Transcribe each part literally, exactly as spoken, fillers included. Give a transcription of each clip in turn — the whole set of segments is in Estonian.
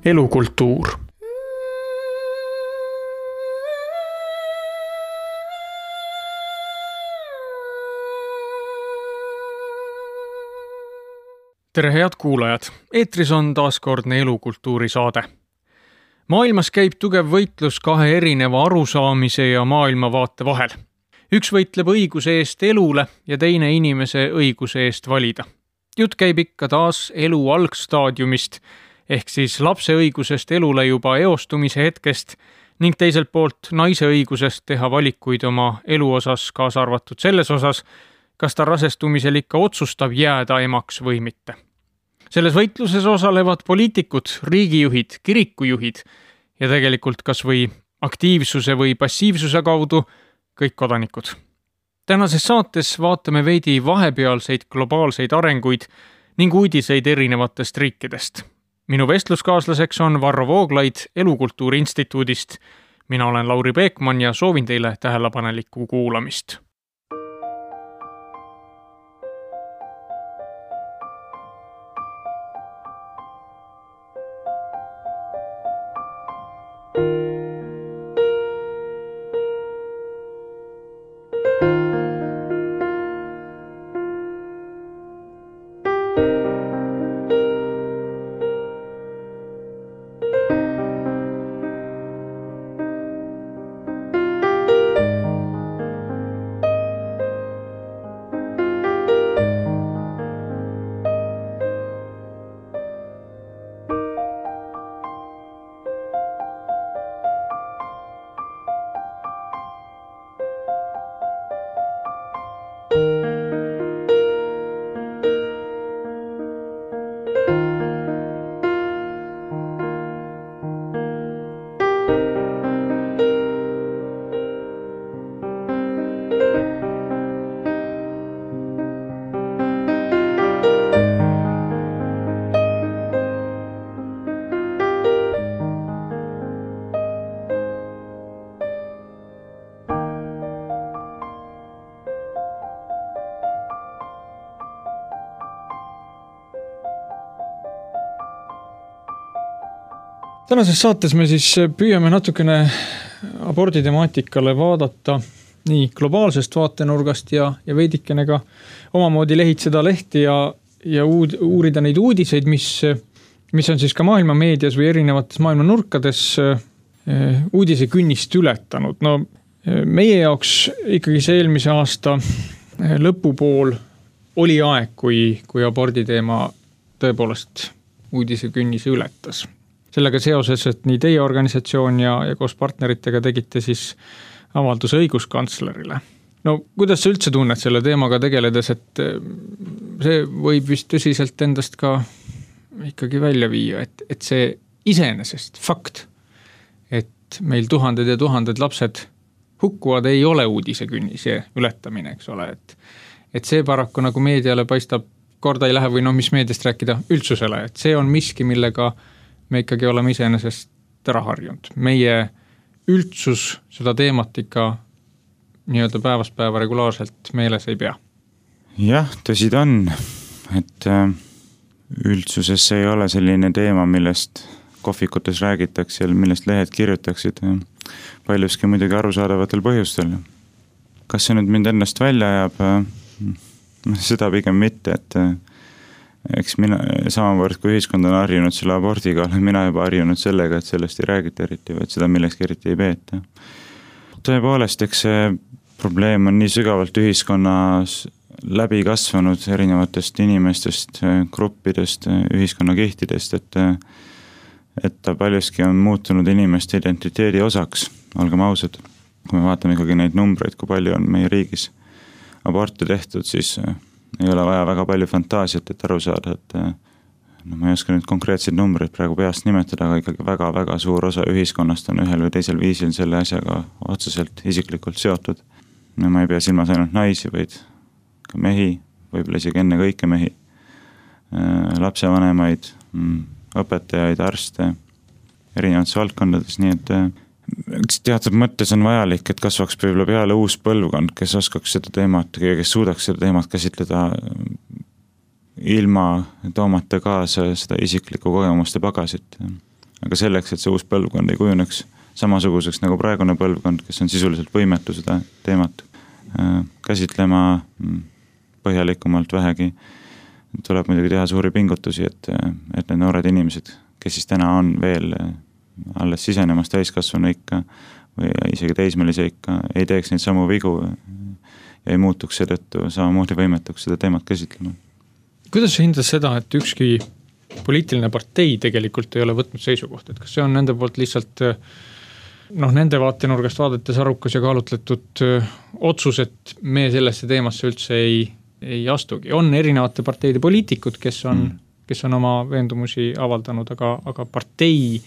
Elukultuur. Tere head kuulajad! Eetris on taaskordne elukultuuri saade. Maailmas käib tugev võitlus kahe erineva arusaamise ja maailmavaate vahel. Üks võitleb õiguse eest elule ja teine inimese õiguse eest valida. Jutt käib ikka taas elu algstaadiumist, ehk siis lapse õigusest elule juba eostumise hetkest ning teiselt poolt naise õigusest teha valikuid oma elu osas, kaasa arvatud selles osas, kas ta rasestumisel ikka otsustab jääda emaks või mitte. Selles võitluses osalevad poliitikud, riigijuhid, kirikujuhid ja tegelikult kas või aktiivsuse või passiivsuse kaudu kõik kodanikud. Tänases saates vaatame veidi vahepealseid globaalseid arenguid ning uudiseid erinevatest riikidest. Minu vestluskaaslaseks on Varro Vooglaid Elukultuuri Instituudist. Mina olen Lauri Peekman ja soovin teile tähelepanelikku kuulamist. Tänases saates me siis püüame natukene abordi temaatikale vaadata nii globaalsest vaatenurgast ja, ja veidikene ka omamoodi lehitseda lehti ja, ja uud, uurida neid uudiseid, mis, mis on siis ka maailma meedias või erinevates maailma nurkades uudise künnist ületanud. No, meie jaoks ikkagi see eelmise aasta lõpupool oli aeg, kui, kui abordi teema tõepoolest uudise künnise ületas. Sellega seoses, et nii teie organisatsioon ja, ja koos partneritega tegite siis avalduse õiguskantslerile. No, kuidas sa üldse tunned selle teemaga tegeledes, et see võib vist tõsiselt endast ka ikkagi välja viia, et, et see iseenesest fakt, et meil tuhanded ja tuhanded lapsed hukkuvad, ei ole uudise künnise ületamine, eks ole, et, et see paraku nagu meediale paistab korda ei lähe või no mis meediast rääkida üldsusele, et see on miski, millega me ikkagi oleme iseenesest ära harjunud. Meie üldsus seda teemat ikka nii-öelda päevast päeva regulaarselt meeles ei pea. Jah, tõsi ta on, et üldsuses ei ole selline teema, millest kohvikutes räägitakse ja millest lehed kirjutaksid paljuski muidugi arusaadavatel põhjustel. Kas see nüüd mind ennast välja ajab? Seda pigem mitte, et eks mina, samavõrd kui ühiskond on harjunud selle abordiga, olen mina juba harjunud sellega, et sellest ei räägita eriti, või et seda millekski eriti ei peeta. Tõepoolest, eks see probleem on nii sügavalt ühiskonnas läbi kasvanud erinevatest inimestest, gruppidest, ühiskonnakihtidest, et, et ta paljuski on muutunud inimeste identiteedi osaks, olgem ausad. Kui me vaatame ikkagi neid numbreid, kui palju on meie riigis aborte tehtud, siis ei ole vaja väga palju fantaasiat, et aru saada, et no ma ei oska nüüd konkreetseid numbreid praegu peast nimetada, aga ikkagi väga-väga suur osa ühiskonnast on ühel või teisel viisil selle asjaga otseselt isiklikult seotud. No ma ei pea silmas ainult naisi, vaid ka mehi, võib-olla isegi enne kõike mehi, lapsevanemaid, õpetajaid, arste, erinevates valdkondades, nii et üks teatud mõttes on vajalik, et kasvaks võib-olla peale uus põlvkond, kes oskaks seda teemat, kes suudaks seda teemat käsitleda ilma toomata kaasa seda isiklikku kogemuste pagasit. Aga selleks, et see uus põlvkond ei kujuneks samasuguseks nagu praegune põlvkond, kes on sisuliselt võimetu seda teemat käsitlema põhjalikumalt vähegi, tuleb muidugi teha suuri pingutusi, et, et need noored inimesed, kes siis täna on veel alles sisenemas täiskasvanu ikka või isegi teismelise ikka, ei teeks neid samu vigu ja ei muutuks seetõttu samamoodi võimetuks seda teemat käsitlema. Kuidas sa hindad seda, et ükski poliitiline partei tegelikult ei ole võtnud seisukohta, et kas see on nende poolt lihtsalt noh, nende vaatenurgast vaadates arukas ja kaalutletud otsus, et me sellesse teemasse üldse ei, ei astugi. On erinevate parteide poliitikud, kes on, mm. kes on oma veendumusi avaldanud, aga, aga partei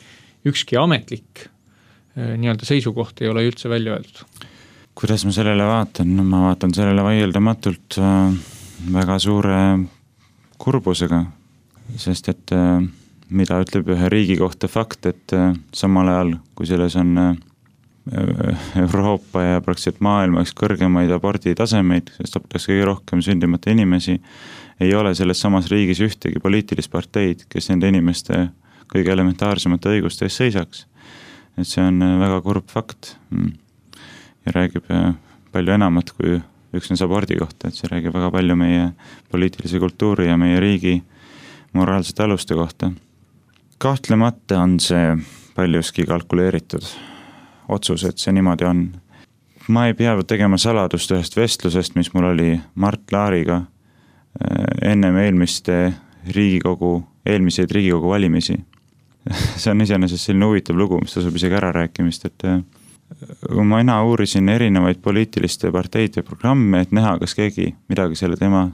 ükski ametlik nii-öelda seisukoht ei ole üldse välja öeldud. Kuidas ma sellele vaatan? No, ma vaatan sellele vaieldamatult väga suure kurbusega, sest et mida ütleb ühe riigi kohta fakt, et samal ajal, kui selles on Euroopa ja praktiliselt maailma üks kõrgemaid aborditasemeid, sest abitakse kõige rohkem sündimata inimesi, ei ole selles samas riigis ühtegi poliitilist parteid, kes nende inimeste kõige elementaarsemate õiguste eest seisaks. Et see on väga kurb fakt ja räägib palju enamat kui üksnes abordi kohta, et see räägib väga palju meie poliitilise kultuuri ja meie riigi moraalsete aluste kohta. Kahtlemata on see paljuski kalkuleeritud otsus, et see niimoodi on. Ma ei pea tegema saladust ühest vestlusest, mis mul oli Mart Laariga ennem eelmiste Riigikogu, eelmiseid Riigikogu valimisi. See on iseenesest selline huvitav lugu, mis tasub isegi ära rääkimist, et kui ma ina uurisin erinevaid poliitiliste parteide programme, et näha, kas keegi midagi selle tema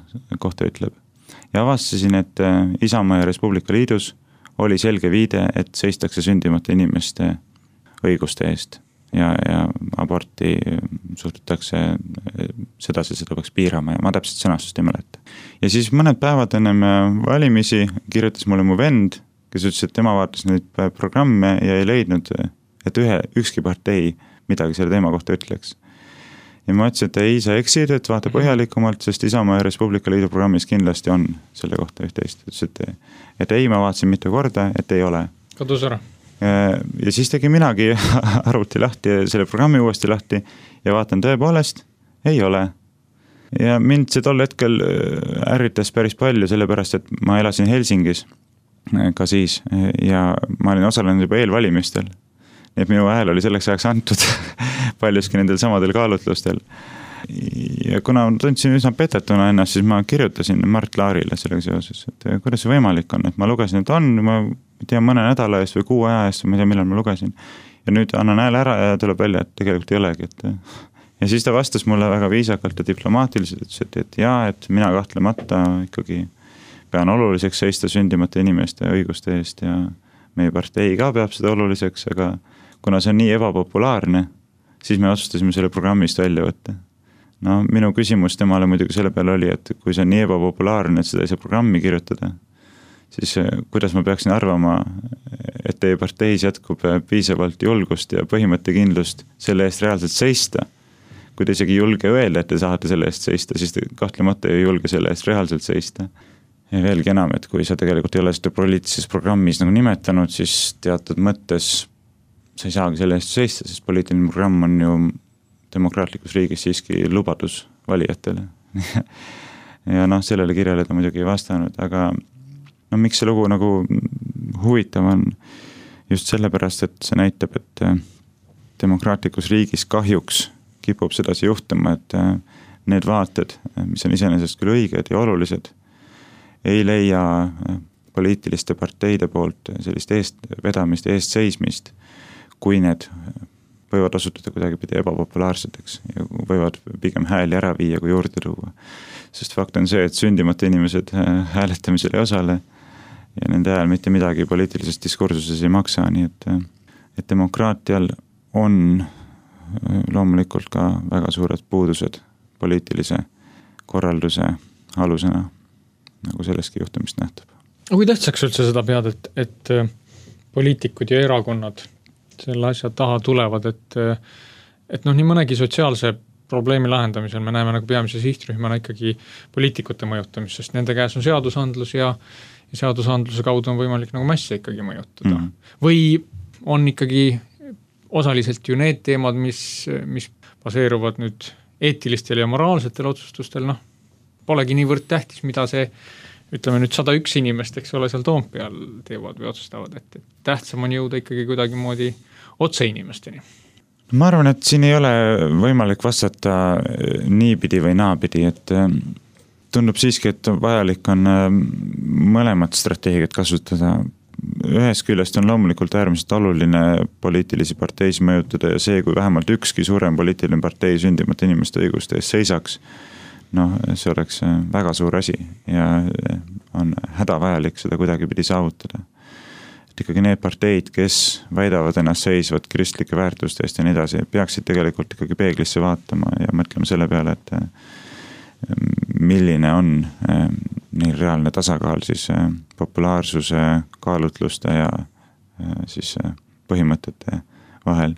kohta ütleb. Ja avastasin, et Isamaa ja Res Publica Liidus oli selge viide, et seistakse sündimata inimeste õiguste eest ja, ja aborti suhtutakse sedasi, seda peaks piirama ja ma täpselt sõnastust ei mäleta. Ja siis mõned päevad ennem valimisi kirjutas mulle mu vend, kes ütles, et tema vaatas neid programme ja ei leidnud, et ühe, ükski partei midagi selle teema kohta ütleks. Ja ma ütlesin, et ei, sa eksid, et vaata põhjalikumalt, sest Isamaa ja Res Publica Liidu programmis kindlasti on selle kohta üht-teist. Ütles, et, et ei, ma vaatasin mitu korda, et ei ole. Kadus ära. Ja siis tegi minagi arvuti lahti ja selle programmi uuesti lahti ja vaatan tõepoolest, ei ole. Ja mind see tol hetkel ärritas päris palju, sellepärast, et ma elasin Helsingis ka siis ja ma olin osalenud juba eelvalimistel. Nii et minu hääl oli selleks ajaks antud paljuski nendel samadel kaalutlustel. Ja kuna tundsin üsna petetuna ennast, siis ma kirjutasin Mart Laarile sellega seoses, et kuidas see võimalik on, et ma lugesin, et on, ma tean mõne nädala eest või kuu aja eest, ma ei tea, millal ma lugesin. Ja nüüd annan hääle ära ja tuleb välja, et tegelikult ei olegi. Et... Ja siis ta vastas mulle väga viisakalt ja diplomaatiliselt, et, et jaa, et mina kahtlemata ikkagi pean oluliseks seista sündimata inimeste õiguste eest ja meie partei ka peab seda oluliseks, aga kuna see on nii ebapopulaarne, siis me otsustasime selle programmist välja võtta. No minu küsimus temale muidugi selle peale oli, et kui see on nii ebapopulaarne, et seda ei saa programmi kirjutada, siis kuidas ma peaksin arvama, et teie parteis jätkub piisavalt julgust ja põhimõttekindlust selle eest reaalselt seista. Kui te isegi julge öelda, et te saate selle eest seista, siis te kahtlemata ei julge selle eest reaalselt seista. Ja veelgi enam, et kui sa tegelikult ei ole seda poliitilises programmis nagu nimetanud, siis teatud mõttes sa ei saagi selle eest seista, sest poliitiline programm on ju demokraatlikus riigis siiski lubadus valijatele. Ja noh, sellele kirjale ta muidugi ei vastanud, aga no miks see lugu nagu huvitav on just sellepärast, et see näitab, et demokraatlikus riigis kahjuks kipub sedasi juhtuma, et need vaated, mis on iseenesest küll õiged ja olulised, ei leia poliitiliste parteide poolt sellist eest vedamist, eest seismist, kui need võivad osutuda kuidagi pidi ebapopulaarseteks ja võivad pigem hääli ära viia kui juurde tuua. Sest fakt on see, et sündimata inimesed hääletamisel ei osale ja nende ajal mitte midagi poliitilises diskursuses ei maksa, nii et, et demokraatial on loomulikult ka väga suured puudused poliitilise korralduse alusena, nagu selleski juhtumist nähtub. Kui tähtsaks üldse seda pead, et, et poliitikud ja erakonnad selle asja taha tulevad, et, et noh, nii mõnegi sotsiaalse probleemi lahendamisel me näeme nagu peamise sihtrühmana ikkagi poliitikute mõjutamist, sest nende käes on seadusandlus ja, ja seadusandluse kaudu on võimalik nagu masse ikkagi mõjutada. Mm. Või on ikkagi osaliselt ju need teemad, mis, mis baseeruvad nüüd eetilistel ja moraalsetel otsustustel, noh, polegi niivõrd tähtis, mida see, ütleme nüüd sada üks inimest, eks ole, seal Toompeal teevad või otsustavad, et, et tähtsam on jõuda ikkagi kuidagimoodi otse inimesteni. Ma arvan, et siin ei ole võimalik vastata niipidi või naapidi, et tundub siiski, et vajalik on mõlemat strateegiat kasutada. Ühest küljest on loomulikult äärmiselt oluline poliitilisi parteis mõjutada ja see, kui vähemalt ükski suurem poliitiline partei sündimata inimeste õiguste ees seisaks, noh, see oleks väga suur asi ja on hädavajalik seda kuidagipidi saavutada. Et ikkagi need parteid, kes väidavad ennast seisvad kristlike väärtuste eest ja nii edasi, peaksid tegelikult ikkagi peeglisse vaatama ja mõtlema selle peale, et milline on neil reaalne tasakaal siis populaarsuse, kaalutluste ja siis põhimõtete vahel.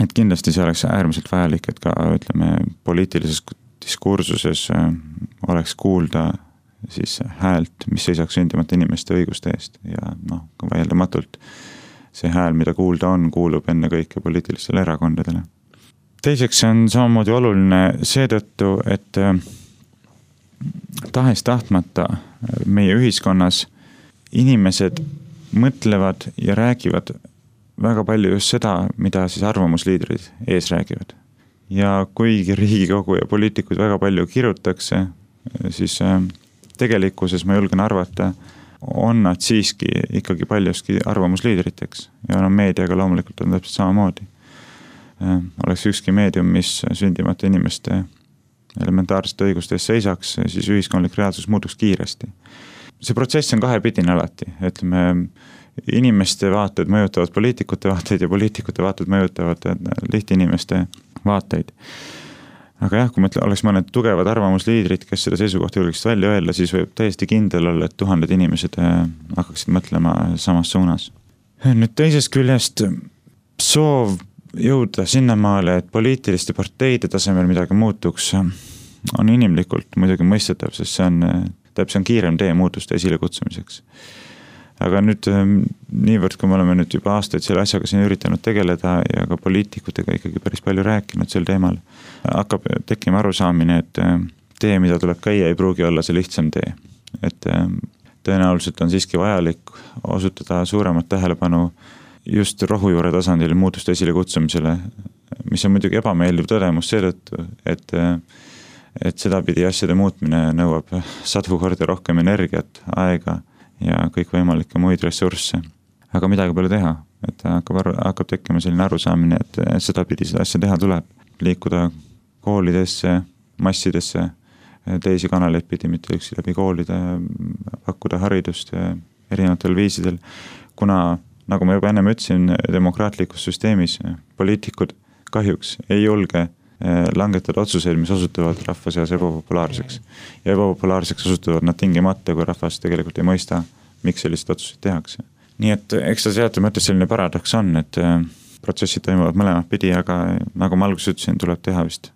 Et kindlasti see oleks äärmiselt vajalik, et ka ütleme, poliitilises diskursuses oleks kuulda siis häält, mis seisaks sündimata inimeste õiguste eest ja noh, vaieldamatult see hääl, mida kuulda on, kuulub enne kõike poliitilistele erakondadele. Teiseks on samamoodi oluline seetõttu, et tahes tahtmata meie ühiskonnas inimesed mõtlevad ja räägivad väga palju just seda, mida siis arvamusliidrid ees räägivad. Ja kuigi Riigikogu ja poliitikud väga palju kirutakse, siis tegelikkuses ma julgen arvata, on nad siiski ikkagi paljuski arvamusliidriteks ja no meediaga loomulikult on täpselt samamoodi. Oleks ükski meedium, mis sündimata inimeste elementaarsete õigustes seisaks, siis ühiskondlik reaalsus muutuks kiiresti. See protsess on kahepidine alati, ütleme, inimeste vaated mõjutavad poliitikute vaateid ja poliitikute vaated mõjutavad lihtinimeste vaateid. Aga jah, kui mõtle, oleks mõned tugevad arvamusliidrid, kes seda seisukohta julgeks välja öelda, siis võib täiesti kindel olla, et tuhanded inimesed hakkaksid mõtlema samas suunas. Nüüd teisest küljest soov jõuda sinnamaale, et poliitiliste parteide tasemel midagi muutuks, on inimlikult muidugi mõistetav, sest see on, täpselt on kiirem tee muutuste esile kutsumiseks. Aga nüüd niivõrd, kui me oleme nüüd juba aastaid selle asjaga siin üritanud tegeleda ja ka poliitikutega ikkagi päris palju rääkinud sel teemal, hakkab tekkima arusaamine, et tee, mida tuleb käia, ei pruugi olla see lihtsam tee. Et tõenäoliselt on siiski vajalik osutada suuremat tähelepanu just rohujuure tasandil muutuste esile kutsumisele, mis on muidugi ebameeldiv tõdemus seetõttu, et, et seda pidi asjade muutmine nõuab sadu korda rohkem energiat, aega ja kõik võimalikke muid ressursse. Aga midagi pole teha, et hakkab, hakkab tekkima selline arusaamine, et seda pidi seda asja teha tuleb. Liikuda koolidesse, massidesse, teisi kanaleid pidi, mitte üksi läbi koolide, pakkuda haridust erinevatel viisidel. Kuna, nagu ma juba ennem ütlesin, demokraatlikus süsteemis poliitikud kahjuks ei julge langetada otsuseid, mis osutuvad rahva seas ebapopulaarseks. Ja ebapopulaarseks osutuvad nad tingimata, kui rahvas tegelikult ei mõista, miks sellised otsuseid tehakse. Nii et eks ta sealt mõttes selline paradoks on, et protsessid toimuvad mõlemat pidi, aga nagu ma alguses ütlesin, tuleb teha vist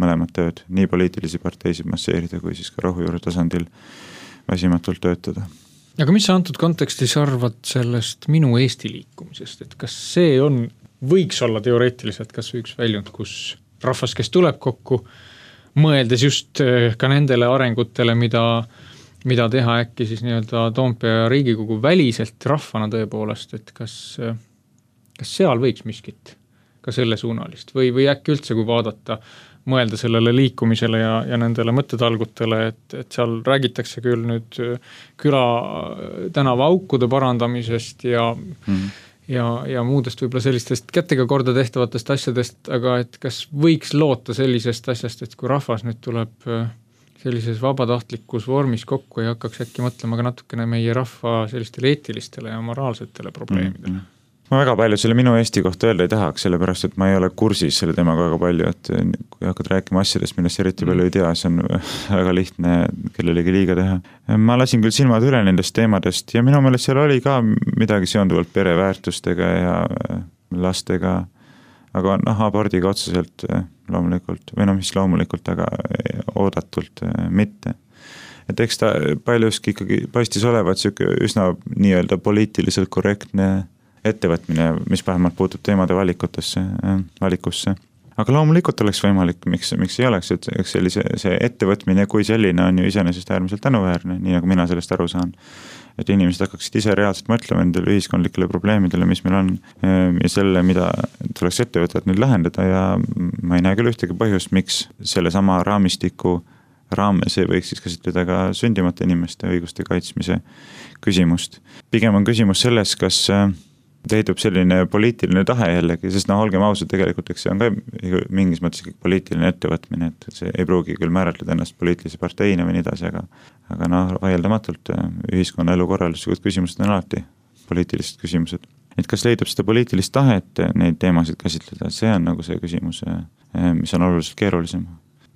mõlemat tööd, nii poliitilisi parteisid masseerida, kui siis ka rohujuure tasandil väsimatult töötada. Aga mis sa antud kontekstis arvad sellest minu Eesti liikumisest, et kas see on, võiks olla teoreetiliselt kas üks väljund, kus rahvas, kes tuleb kokku, mõeldes just ka nendele arengutele, mida, mida teha äkki siis nii-öelda Toompea ja Riigikogu väliselt rahvana tõepoolest, et kas, kas seal võiks miskit ka selle suunalist või, või äkki üldse, kui vaadata, mõelda sellele liikumisele ja, ja nendele mõttetalgutele, et, et seal räägitakse küll nüüd küla tänava aukude parandamisest ja mm. Ja, ja muudest võib-olla sellistest kätega korda tehtavatest asjadest, aga et kas võiks loota sellisest asjast, et kui rahvas nüüd tuleb sellises vabatahtlikus vormis kokku ja hakkaks äkki mõtlema ka natukene meie rahva sellistele eetilistele ja moraalsetele probleemidele. Mm-hmm. Ma väga palju selle minu Eesti kohta öelda ei tahaks, sellepärast, et ma ei ole kursis selle teemaga väga palju, et kui hakkad rääkima asjadest, millest eriti palju ei tea, see on väga lihtne kellelegi liiga teha. Ma lasin küll silmad üle nendest teemadest ja minu meelest seal oli ka midagi seonduvalt pereväärtustega ja lastega, aga noh, abordiga otseselt loomulikult, või no mis loomulikult, aga oodatult mitte. Et eks ta paljuski ikkagi paistis olevat siuke üsna nii-öelda poliitiliselt korrektne ettevõtmine, mis vähemalt puutub teemade valikutesse, valikusse. Aga loomulikult oleks võimalik, miks, miks ei oleks, et sellise, see ettevõtmine kui selline on ju iseenesest äärmiselt tänuväärne, nii nagu mina sellest aru saan. Et inimesed hakkaksid ise reaalselt mõtlema nendele ühiskondlikele probleemidele, mis meil on ja selle, mida tuleks ette võtta, et nüüd lahendada ja ma ei näe küll ühtegi põhjust, miks selle sama raamistiku raames ei võiks siis käsitleda ka sündimata inimeste õiguste kaitsmise küsimust. Pigem on küsimus selles, kas leidub selline poliitiline tahe jällegi, sest noh, olgem ausad, tegelikult eks see on ka mingis mõttes poliitiline ettevõtmine, et see ei pruugi küll määratleda ennast poliitilise parteina või nii edasi, aga, aga noh, vaieldamatult ühiskonna elu korralduslikud küsimused on alati poliitilised küsimused. Et kas leidub seda poliitilist tahet neid teemasid käsitleda, see on nagu see küsimus, mis on oluliselt keerulisem.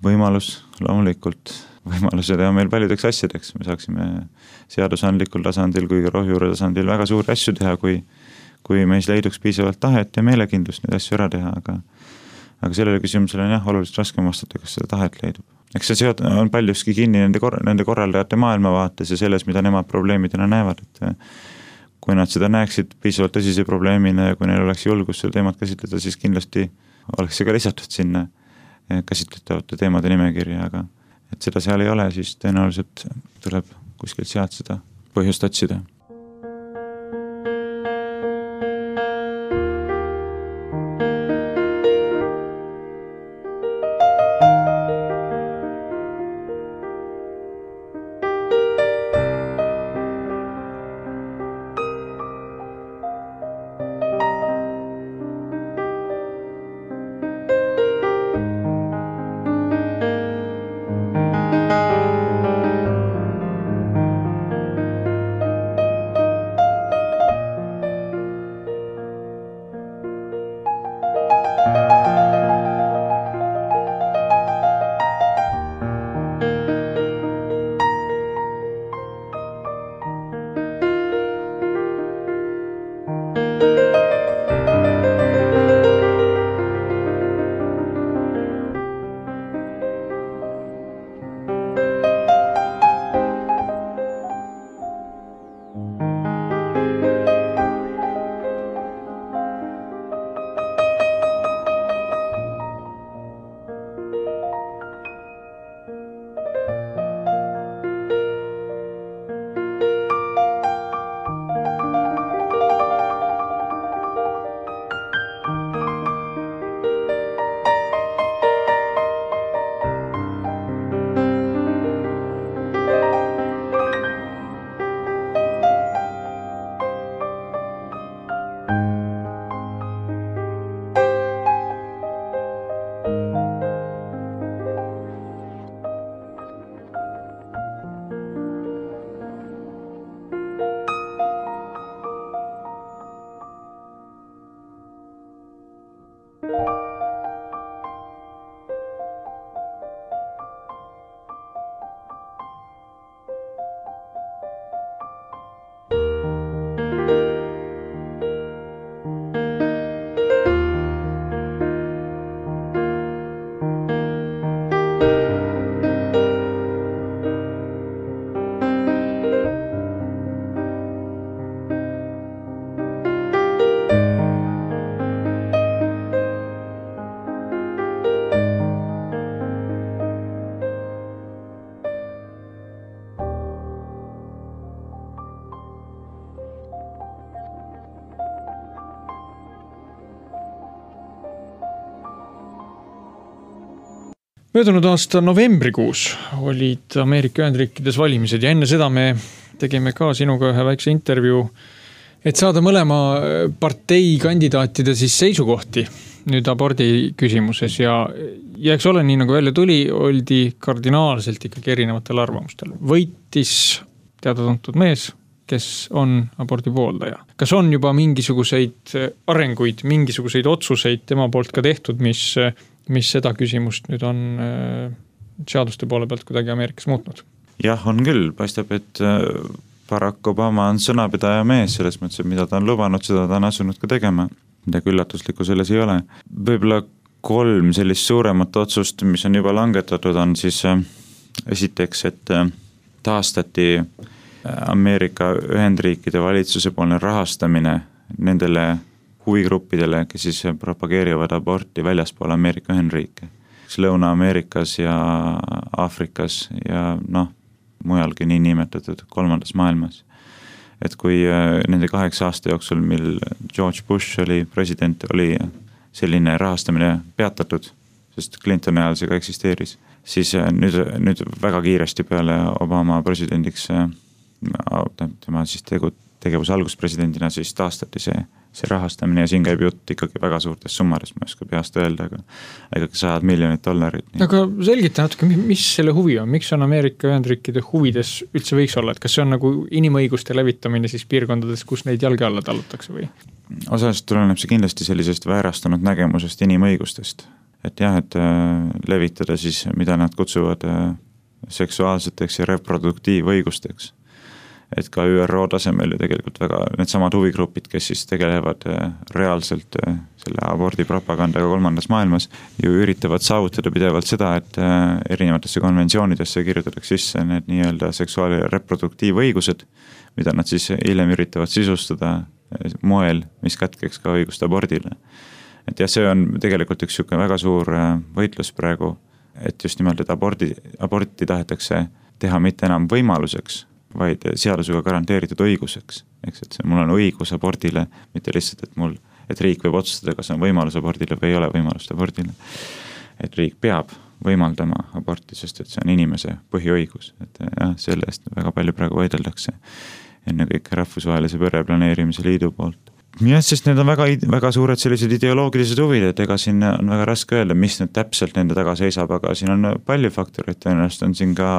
Võimalus, loomulikult, võimalused on meil paljudeks asjadeks, me saaksime seadusandlikul tasandil kui ka rohjuure tasandil väga suuri asju teha, kui kui meis leiduks piisavalt tahet ja meelekindlust neid asju ära teha, aga, aga sellele küsimusele on jah, oluliselt raskem vastata, kas seda tahet leidub. Eks see seot on paljuski kinni nende, kor nende korraldajate maailmavaates ja selles, mida nemad probleemidena näevad, et kui nad seda näeksid piisavalt tõsise probleemina ja kui neil oleks julgus seda teemat käsitleda, siis kindlasti oleks see ka lisatud sinna käsitletavate teemade nimekirja, aga et seda seal ei ole, siis tõenäoliselt tuleb kuskilt sealt seda põhjust otsida. Möödunud aasta novembrikuus olid Ameerika Ühendriikides valimised ja enne seda me tegime ka sinuga ühe väikse intervjuu, et saada mõlema partei kandidaatide siis seisukohti nüüd abordi küsimuses ja, ja eks ole nii nagu välja tuli, oldi kardinaalselt ikkagi erinevatel arvamustel. Võitis teada-tuntud mees, kes on abordi pooldaja. Kas on juba mingisuguseid arenguid, mingisuguseid otsuseid tema poolt ka tehtud, mis, mis seda küsimust nüüd on seaduste poole pealt kuidagi Ameerikas muutnud? Jah, on küll. Paistab, et Barack Obama on sõnapidaja mees selles mõttes, et mida ta on lubanud, seda ta on asunud ka tegema. Midagi üllatuslikku selles ei ole. Võib-olla kolm sellist suuremat otsust, mis on juba langetatud, on siis esiteks, et taastati Ameerika Ühendriikide valitsuse poolne rahastamine nendele huvigruppidele, kes siis propageerivad aborti väljaspool Ameerika Ühendriike. Lõuna-Ameerikas ja Aafrikas ja noh, mujalgi nii nimetatud kolmandas maailmas. Et kui nende kaheksa aasta jooksul, mil George Bush oli president, oli selline rahastamine peatatud, sest Clintoni ajal see ka eksisteeris, siis nüüd, nüüd väga kiiresti peale Obama presidendiks, tema siis tegu, tegevuse alguspresidendina siis taastati see, see rahastamine ja siin käib jutt ikkagi väga suurtes summades, ma ei oska peast öelda, aga ikkagi sajad miljonid dollarid. Aga selgita natuke, mis selle huvi on? Miks on Ameerika Ühendriikide huvides üldse võiks olla? Et kas see on nagu inimõiguste levitamine siis piirkondades, kus neid jalge alla talutakse või? Osast tuleneb see kindlasti sellisest väärastunud nägemusest inimõigustest. Et jah, et levitada siis, mida nad kutsuvad seksuaalseteks ja reproduktiivõigusteks. Et ka Ü R O tasemel ju tegelikult väga need samad huvigrupid, kes siis tegelevad reaalselt selle abordi propagandaga kolmandas maailmas, ju üritavad saavutada pidevalt seda, et erinevatesse konventsioonidesse kirjutatakse sisse need nii-öelda seksuaal- ja reproduktiivõigused, mida nad siis hiljem üritavad sisustada moel, mis kätkeks ka õigust abordile. Et jah, see on tegelikult üks siuke väga suur võitlus praegu, et just nimelt, et abordi, aborti tahetakse teha mitte enam võimaluseks, vaid seadusega garanteeritud õiguseks. Eks, et see, mul on õigus abordile, mitte lihtsalt, et mul, et riik võib otsustada, kas on võimalus abordile või ei ole võimalust abordile. Et riik peab võimaldama aborti, sest et see on inimese põhiõigus. Et jah, selle eest väga palju praegu võideldakse enne kõik rahvusvahelise pereplaneerimise liidu poolt. Jah, sest need on väga, väga suured sellised ideoloogilised huvid, et ega siin on väga raske öelda, mis nüüd täpselt nende taga seisab, aga siin on palju faktoreid, tõenäoliselt on siin ka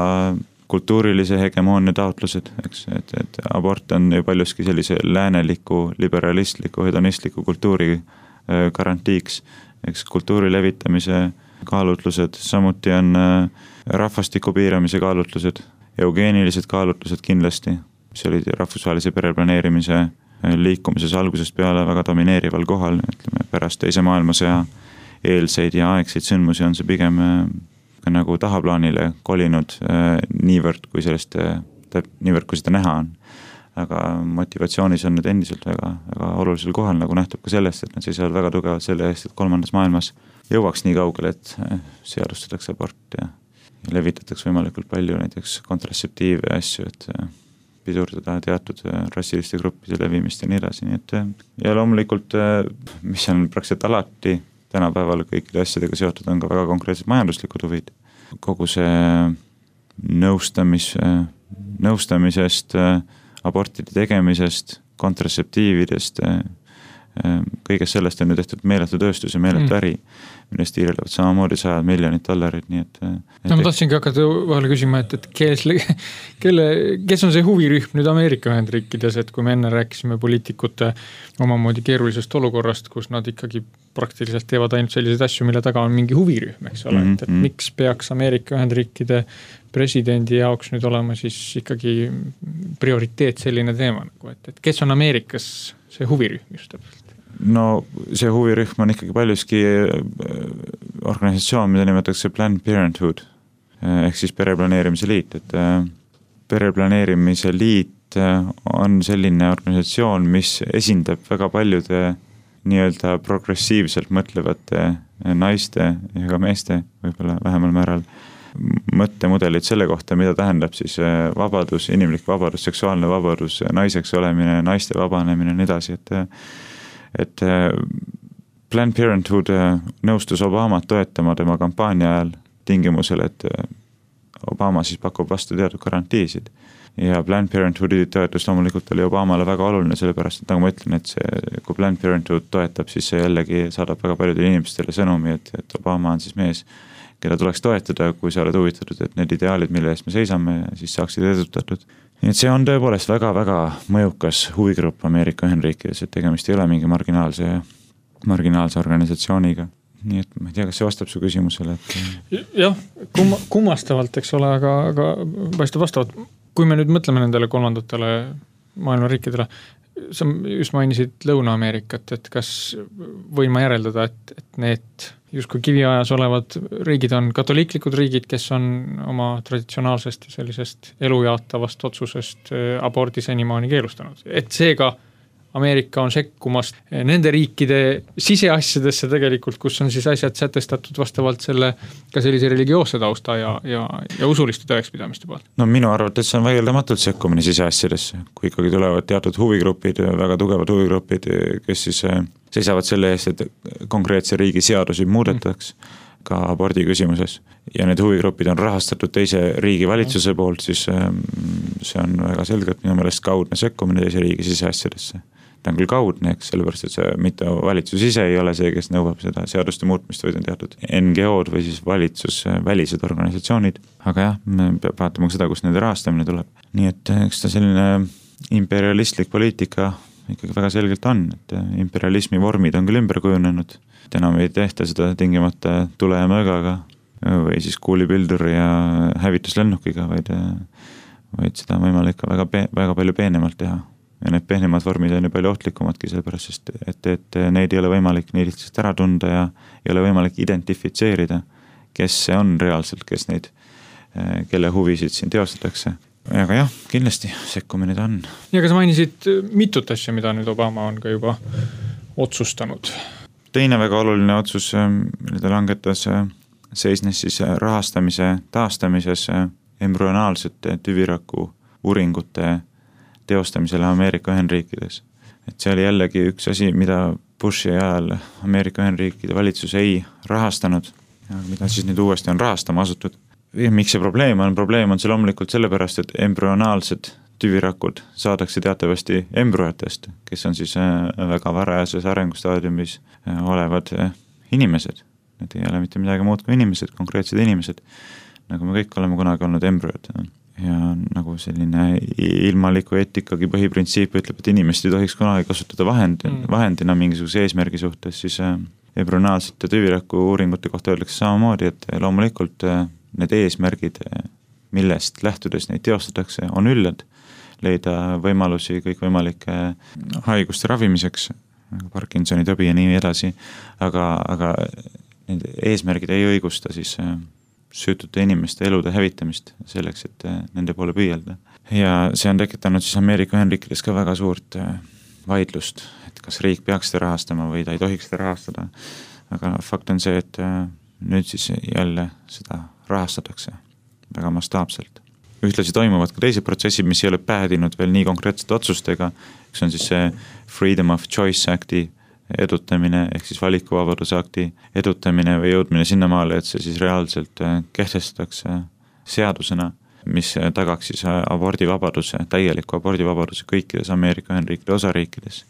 kultuurilise hegemoonia taotlused, eks, et, et abort on ju paljuski sellise lääneliku, liberalistliku, hedonistliku kultuuri garantiiks, eks kultuuri levitamise kaalutlused, samuti on rahvastiku piiramise kaalutlused, eugeenilised kaalutlused kindlasti, mis olid rahvusvahelise pereplaneerimise liikumises algusest peale väga domineerival kohal, ütleme, pärast teise maailmasõja eelseid ja aegseid sündmusi on see pigem nagu tahaplaanile kolinud niivõrd, kui sellest, niivõrd, kui seda näha on. Aga motivatsioonis on need endiselt väga, väga olulisel kohal, nagu nähtub ka sellest, et nad seisavad väga tugevalt selle eest, et kolmandas maailmas jõuaks nii kaugele, et seadustatakse abort ja, ja levitatakse võimalikult palju näiteks kontratseptiive asju, et pidurdada teatud rassiliste gruppide levimist ja nii edasi. Nii et, ja loomulikult, mis on praktiliselt alati tänapäeval kõikide asjadega seotud, on ka väga konkreetsed majanduslikud huvid. Kogu see nõustamis, nõustamisest, abortide tegemisest, kontratseptiividest, kõigest sellest on ju tehtud meeletu tööstus ja meeletu mm. äri, millest tiirelevad samamoodi sajad miljonid dollarid, nii et... et no ma tahtsingi hakata vahele küsima, et, et kes, kelle, kes on see huvirühm nüüd Ameerika Ühendriikides, et kui me enne rääkisime poliitikute omamoodi keerulisest olukorrast, kus nad ikkagi praktiliselt teevad ainult selliseid asju, mille taga on mingi huvirühm, eks ole, mm-hmm. et, et miks peaks Ameerika Ühendriikide presidendi jaoks nüüd olema siis ikkagi prioriteet selline teema, nagu, et, et kes on Ameerikas see huvirühm just täpselt? No see huvirühm on ikkagi paljuski organisatsioon, mida nimetatakse Planned Parenthood, ehk siis pereplaneerimise liit, et pereplaneerimise liit on selline organisatsioon, mis esindab väga paljude nii-öelda progressiivselt mõtlevate naiste ja ka meeste, võib-olla vähemal määral, mõttemudelid selle kohta, mida tähendab siis vabadus, inimlik vabadus, seksuaalne vabadus, naiseks olemine, naiste vabanemine ja nii edasi, et et Planned Parenthood nõustus Obamat toetama tema kampaania ajal tingimusel, et Obama siis pakub vastu teatud garantiisid. ja Planned Parenthoodi toetus loomulikult oli Obamale väga oluline, sellepärast, et nagu ma ütlen, et see, kui Planned Parenthood toetab, siis see jällegi saadab väga paljudele inimestele sõnumi, et, et Obama on siis mees, keda tuleks toetada, kui sa oled huvitatud, et need ideaalid, mille eest me seisame, siis saaksid edutatud. Nii et see on tõepoolest väga-väga mõjukas huvigrupp Ameerika Ühendriikides, et tegemist ei ole mingi marginaalse, marginaalse organisatsiooniga. Nii et ma ei tea, kas see vastab su küsimusele, et... Jah, kumma, kummastavalt, eks ole, aga, aga paistab vastavalt. Kui me nüüd mõtleme nendele kolmandatele maailma riikidele, sa just mainisid Lõuna-Ameerikat, et kas võin ma järeldada, et, et need justkui kiviajas olevad riigid on katoliiklikud riigid, kes on oma traditsionaalsest ja sellisest elujaatavast otsusest abordi senimaani keelustanud. Et seega Ameerika on sekkumas nende riikide siseasjadesse tegelikult, kus on siis asjad sätestatud vastavalt selle ka sellise religioosse tausta ja, ja, ja usuliste tõekspidamiste poolt. No minu arvates see on vaieldamatult sekkumine siseasjadesse, kui ikkagi tulevad teatud huvigrupid, väga tugevad huvigrupid, kes siis seisavad selle eest, et konkreetse riigi seadusi muudetaks ka abordi küsimuses. Ja need huvigrupid on rahastatud teise riigi valitsuse poolt, siis see on väga selgelt minu meelest kaudne sekkumine teise riigi siseasjadesse. Ta on küll kaudne, eks, sellepärast, et see mitte valitsus ise ei ole see, kes nõuab seda seaduste muutmist, vaid on teatud N G O-d või siis valitsus välised organisatsioonid. Aga jah, me peab vaatama seda, kus nende rahastamine tuleb. Nii et eks ta selline imperialistlik poliitika ikkagi väga selgelt on, et imperialismi vormid on küll ümber kujunenud. Et enam ei tehta seda tingimata tule ja möögaga või siis kuulipilduri ja hävituslennukiga, vaid, vaid seda on võimalik ka väga, väga palju peenemalt teha. Ja need pehnemad vormid on ju palju ohtlikumadki sellepärast, et, et neid ei ole võimalik nii lihtsalt ära tunda ja ei ole võimalik identifitseerida, kes see on reaalselt, kes neid, kelle huvisid siin teostatakse. Aga jah, kindlasti sekkumine ta on. Ja kas mainisid mitut asja, mida nüüd Obama on ka juba otsustanud? Teine väga oluline otsus, mille ta langetas, seisnes siis rahastamise taastamises embrüonaalsete tüviraku uuringute teostamisele Ameerika Ühendriikides. Et see oli jällegi üks asi, mida Bushi ajal Ameerika Ühendriikide valitsus ei rahastanud, mida siis nüüd uuesti on rahastama asutud. Ja miks see probleem on? Probleem on see loomulikult sellepärast, et embrüonaalsed tüvirakud saadakse teatavasti embrüotest, kes on siis väga varajases arengustaadiumis olevad inimesed. Need ei ole mitte midagi muud kui inimesed, konkreetsed inimesed, nagu me kõik oleme kunagi olnud embrüod. Ja nagu selline ilmaliku eetikagi põhiprintsiip ütleb, et inimest ei tohiks kunagi kasutada vahend, vahendina mingisuguse eesmärgi suhtes, siis embrüonaalsete tüviraku uuringute kohta öeldakse samamoodi, et loomulikult need eesmärgid, millest lähtudes neid teostatakse, on üllad, leida võimalusi kõikvõimalike haiguste ravimiseks, Parkinsoni tõbi ja nii edasi, aga, aga need eesmärgid ei õigusta siis süütute inimeste elude hävitamist selleks, et nende poole püüelda. Ja see on tekitanud siis Ameerika Ühendriikides ka väga suurt vaidlust, et kas riik peaks seda rahastama või ta ei tohiks seda rahastada. Aga fakt on see, et nüüd siis jälle seda rahastatakse väga mastaapselt. Ühtlasi toimuvad ka teised protsessid, mis ei ole päädinud veel nii konkreetsete otsustega, üks on siis see Freedom of Choice Acti edutamine, ehk siis valikuvabaduse akti edutamine või jõudmine sinnamaale, et see siis reaalselt kehtestatakse seadusena, mis tagaks siis abordivabaduse, täieliku abordivabaduse kõikides Ameerika Ühendriikide osariikides.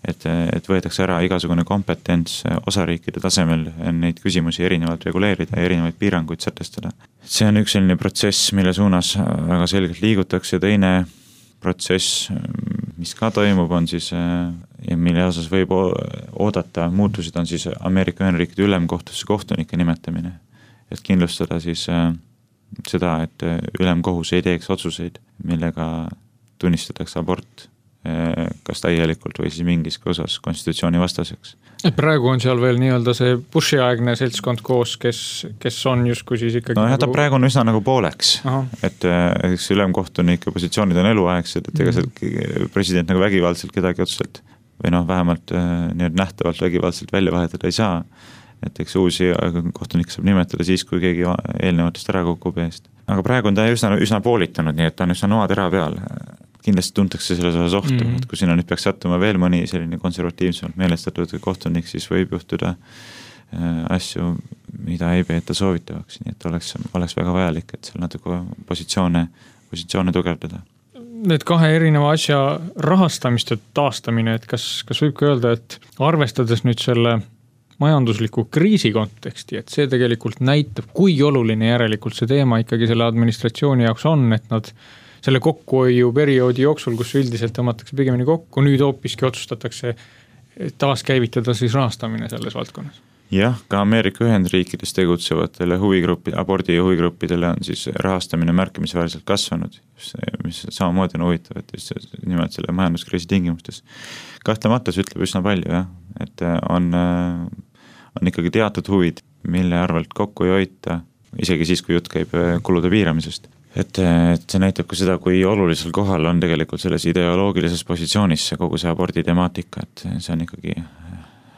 Et, et võetakse ära igasugune kompetents osariikide tasemel neid küsimusi erinevalt reguleerida ja erinevaid piiranguid sätestada. See on üks selline protsess, mille suunas väga selgelt liigutakse, teine protsess, mis ka toimub, on siis, ja mille osas võib oodata muutusid, on siis Ameerika Ühendriikide ülemkohtusse kohtunike nimetamine. Et kindlustada siis seda, et ülemkohus ei teeks otsuseid, millega tunnistatakse abort kas täielikult või siis mingis osas konstitutsiooni vastaseks. Et praegu on seal veel nii-öelda see Bushi-aegne seltskond koos, kes, kes on justkui siis ikkagi... No jah, ta praegu on üsna nagu pooleks, Aha. et eks ülemkohtunike positsioonid on eluaegsed, et ega seal president nagu vägivaldselt kedagi otseselt või noh, vähemalt nii nähtavalt vägivaldselt välja vahetada ei saa. Et eks uusi kohtunik saab nimetada siis, kui keegi eelnevatest ära kukub eest. Aga praegu on ta üsna, üsna poolitanud, nii et ta on üsna noa tera peal. Kindlasti tuntakse selles osas ohtu, mm. et kui sinna nüüd peaks sattuma veel mõni selline konservatiivsemalt meelestatud kohtunik, siis võib juhtuda asju, mida ei peeta soovitavaks, nii et oleks, oleks väga vajalik, et seal natuke positsioone, positsioone tugevdada. need kahe erineva asja rahastamist ja taastamine, et kas, kas võib ka öelda, et arvestades nüüd selle majandusliku kriisi konteksti, et see tegelikult näitab, kui oluline järelikult see teema ikkagi selle administratsiooni jaoks on, et nad selle kokkuhoiu perioodi jooksul, kus üldiselt tõmmatakse pigemini kokku, nüüd hoopiski otsustatakse taaskäivitada siis rahastamine selles valdkonnas. Jah, ka Ameerika Ühendriikides tegutsevatele huvigruppi, abordi huvigruppidele on siis rahastamine märkimisväärselt kasvanud, mis samamoodi on huvitav, et just nimelt selle majanduskriisi tingimustes. Kahtlemata see ütleb üsna palju, jah, et on, on ikkagi teatud huvid, mille arvelt kokku ei hoita, isegi siis, kui jutt käib kulude piiramisest. Et, et see näitab ka seda, kui olulisel kohal on tegelikult selles ideoloogilises positsioonis see kogu see abordi temaatika, et see on ikkagi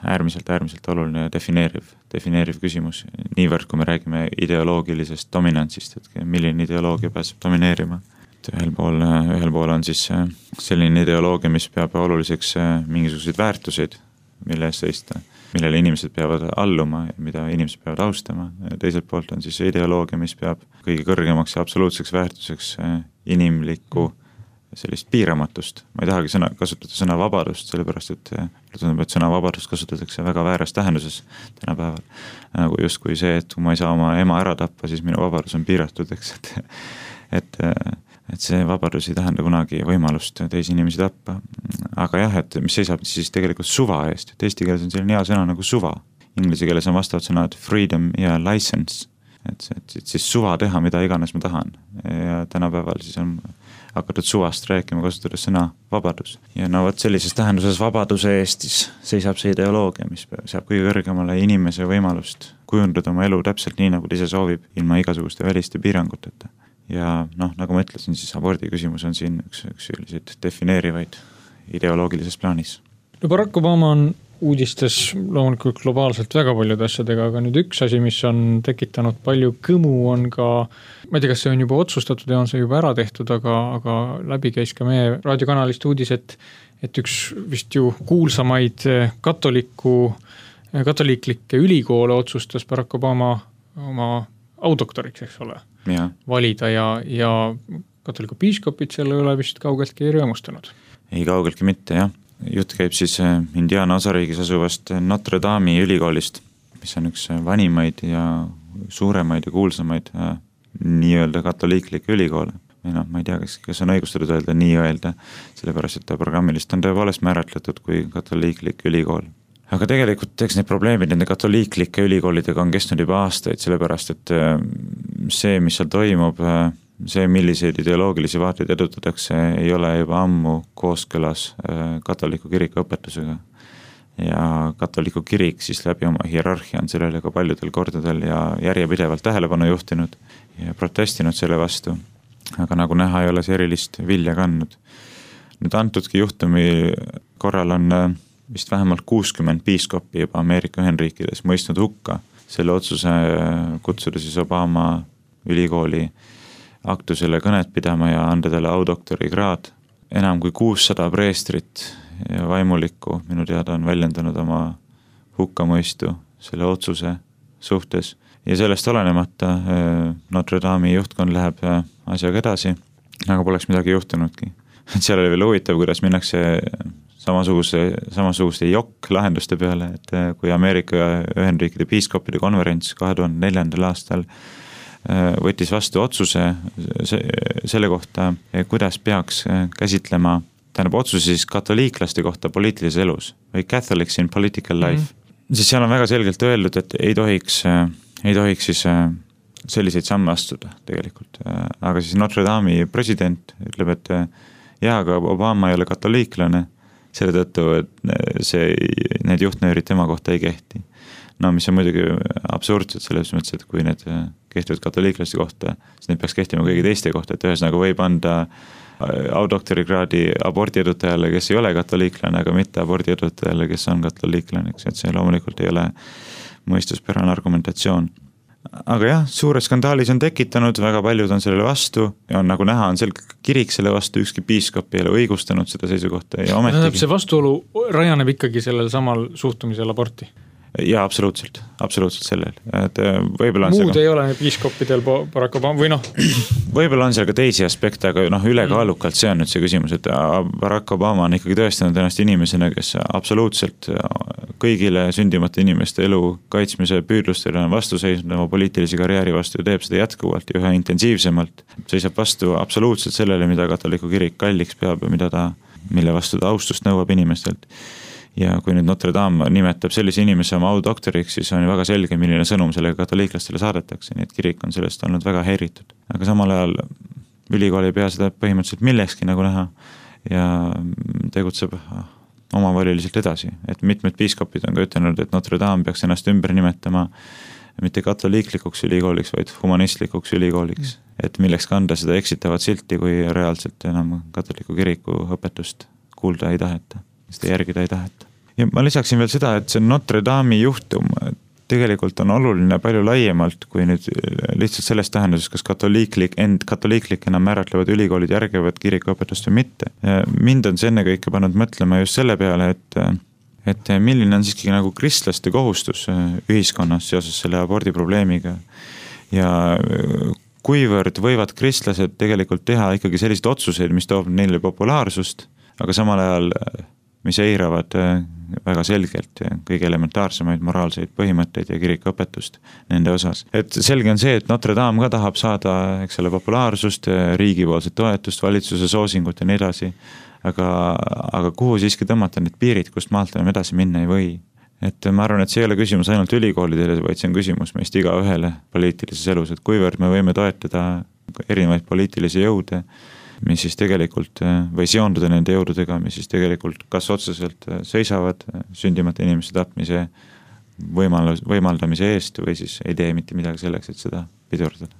äärmiselt, äärmiselt oluline ja defineeriv, defineeriv küsimus. Niivõrd, kui me räägime ideoloogilisest dominantsist, et milline ideoloogia pääseb domineerima. Et ühel pool, ühel pool on siis selline ideoloogia, mis peab oluliseks mingisuguseid väärtuseid, mille eest seista, millele inimesed peavad alluma, mida inimesed peavad austama. Teiselt poolt on siis ideoloogia, mis peab kõige kõrgemaks ja absoluutseks väärtuseks inimlikku sellist piiramatust. Ma ei tahagi sõna, kasutada sõna vabadust, sellepärast, et tundub, et sõna vabadust kasutatakse väga vääras tähenduses tänapäeval. Nagu just kui see, et kui ma ei saa oma ema ära tappa, siis minu vabadus on piiratud, eks, et, et, et see vabadus ei tähenda kunagi võimalust teisi inimesi tappa. Aga jah, et mis seisab siis tegelikult suva eest, et eesti keeles on selline hea sõna nagu suva. Inglise keeles on vastavad sõnad freedom ja license, et, et, et siis suva teha, mida iganes ma tahan. Ja tänapäeval siis on hakatud suvast rääkima, kasutades sõna vabadus. Ja no võt sellises tähenduses vabaduse eest siis seisab see ideoloogia, mis saab kõige kõrgemale inimese võimalust kujundada oma elu täpselt nii, nagu ta ise soovib, ilma igasuguste väliste piiranguteta. Ja noh, nagu ma ütlesin, siis abordi küsimus on siin üks, üks selliseid defineerivaid ideoloogilises plaanis. No Barack Obama on uudistes loomulikult globaalselt väga paljude asjadega, aga nüüd üks asi, mis on tekitanud palju kõmu, on ka, ma ei tea, kas see on juba otsustatud ja on see juba ära tehtud, aga, aga läbi käis ka meie raadiokanalist uudis, et, et üks vist ju kuulsamaid katoliku, katoliiklikke ülikoole otsustas Barack Obama oma audoktoriks, eks ole, ja. valida ja, ja katoliku piiskopid selle üle vist kaugeltki ei rõõmustanud. Ei kaugeltki mitte, jah. Jutt käib siis Indiana osariigis asuvast Notre Dame'i ülikoolist, mis on üks vanimaid ja suuremaid ja kuulsamaid nii-öelda katoliiklikke ülikoole. No, ma ei tea, kas, kas on õigustatud öelda nii-öelda, sellepärast, et ta programmilist on tõepoolest määratletud kui katoliiklik ülikool. Aga tegelikult eks need probleemid nende katoliiklike ülikoolidega on kestnud juba aastaid, sellepärast, et see, mis seal toimub, see, milliseid ideoloogilisi vaateid edutatakse, ei ole juba ammu kooskõlas katoliku kiriku õpetusega. Ja katoliku kirik siis läbi oma hierarhia on sellele ka paljudel kordadel ja järjepidevalt tähelepanu juhtinud ja protestinud selle vastu. Aga nagu näha, ei ole see erilist vilja kandnud. Nüüd antudki juhtumi korral on vist vähemalt kuuskümmend piiskoppi juba Ameerika Ühendriikides mõistnud hukka selle otsuse kutsuda siis Obama ülikooli aktusele kõnet pidama ja anda talle audoktori kraad. Enam kui kuussada preestrit ja vaimulikku minu teada on väljendanud oma hukkamõistu selle otsuse suhtes. Ja sellest olenemata Notre Dame'i juhtkond läheb asjaga edasi, aga poleks midagi juhtunudki. Et seal oli veel huvitav, kuidas minnakse samasuguse, samasuguste jokk lahenduste peale, et kui Ameerika Ühendriikide piiskopide konverents kahe tuhande neljandal aastal võttis vastu otsuse selle kohta, kuidas peaks käsitlema, tähendab otsuse siis katoliiklaste kohta poliitilises elus või Catholics in political life. Mm-hmm. Siis seal on väga selgelt öeldud, et ei tohiks, ei tohiks siis selliseid samme astuda tegelikult. Aga siis Notre Dame'i president ütleb, et jaa, aga Obama ei ole katoliiklane, selle tõttu, et see, need juhtnöörid tema kohta ei kehti. No mis on muidugi absurdsed selles mõttes, et kui need kehtivad katoliiklaste kohta, siis need peaks kehtima kõigi teiste kohta, et ühesõnaga võib anda audoktorikraadi abordi edutajale, kes ei ole katoliiklane, aga mitte abordi edutajale, kes on katoliiklane, et see loomulikult ei ole mõistuspärane argumentatsioon. Aga jah, suure skandaalis on tekitanud, väga paljud on sellele vastu ja on nagu näha, on sel kirik selle vastu, ükski piiskop ei ole õigustanud seda seisukohta ja ometigi. See vastuolu rajaneb ikkagi sellel samal suhtumisel aborti? Jaa, absoluutselt, absoluutselt sellel. Et võib-olla on Muud see, ei ole piiskoppidel Barack Obama või noh? Võib-olla on seal ka teisi aspekte, aga noh, ülekaalukalt see on nüüd see küsimus, et Barack Obama on ikkagi tõestanud ennast inimesena, kes absoluutselt kõigile sündimata inimeste elu kaitsmise püüdlustele on vastu seisnud oma poliitilise karjääri vastu ja teeb seda jätkuvalt ja üha intensiivsemalt. Seisab vastu absoluutselt sellele, mida katoliku kirik kalliks peab ja mida ta, mille vastu ta austust nõuab inimestelt. Ja kui nüüd Notre Dame nimetab sellise inimese oma audoktoriks, siis on ju väga selge, milline sõnum sellega katoliiklastele saadetakse, nii et kirik on sellest olnud väga häiritud. Aga samal ajal ülikool ei pea seda põhimõtteliselt millekski nagu näha ja tegutseb omavoliliselt edasi. Et mitmed piiskopid on ka ütelnud, et Notre Dame peaks ennast ümber nimetama mitte katoliiklikuks ülikooliks, vaid humanistlikuks ülikooliks. Et milleks kanda seda eksitavat silti, kui reaalselt enam katoliku kiriku õpetust kuulda ei taheta. Seda järgida ei taheta. Ja ma lisaksin veel seda, et see Notre Dame'i juhtum tegelikult on oluline palju laiemalt kui nüüd lihtsalt selles tähenduses, kas katoliiklik, end katoliiklikena määratlevad ülikoolid järgivad kirikuõpetust või mitte. Mind on see ennekõike pannud mõtlema just selle peale, et, et milline on siiski nagu kristlaste kohustus ühiskonnas seoses selle abordi probleemiga ja kuivõrd võivad kristlased tegelikult teha ikkagi selliseid otsuseid, mis toob neile populaarsust, aga samal ajal mis eiravad väga selgelt kõige elementaarsemaid moraalseid põhimõtteid ja kirikuõpetust nende osas. Et selge on see, et Notre Dame ka tahab saada, eks ole, populaarsust, riigipoolset toetust, valitsuse soosingut ja nii edasi, aga, aga kuhu siiski tõmmata need piirid, kust maalt enam edasi minna ei või. Et ma arvan, et see ei ole küsimus ainult ülikoolidele, vaid see on küsimus meist iga ühele poliitilises elus, et kuivõrd me võime toetada erinevaid poliitilisi jõude, mis siis tegelikult, või seonduda nende jõududega, mis siis tegelikult kas otseselt seisavad sündimata inimeste tapmise võimal- võimaldamise eest või siis ei tee mitte midagi selleks, et seda pidurdada.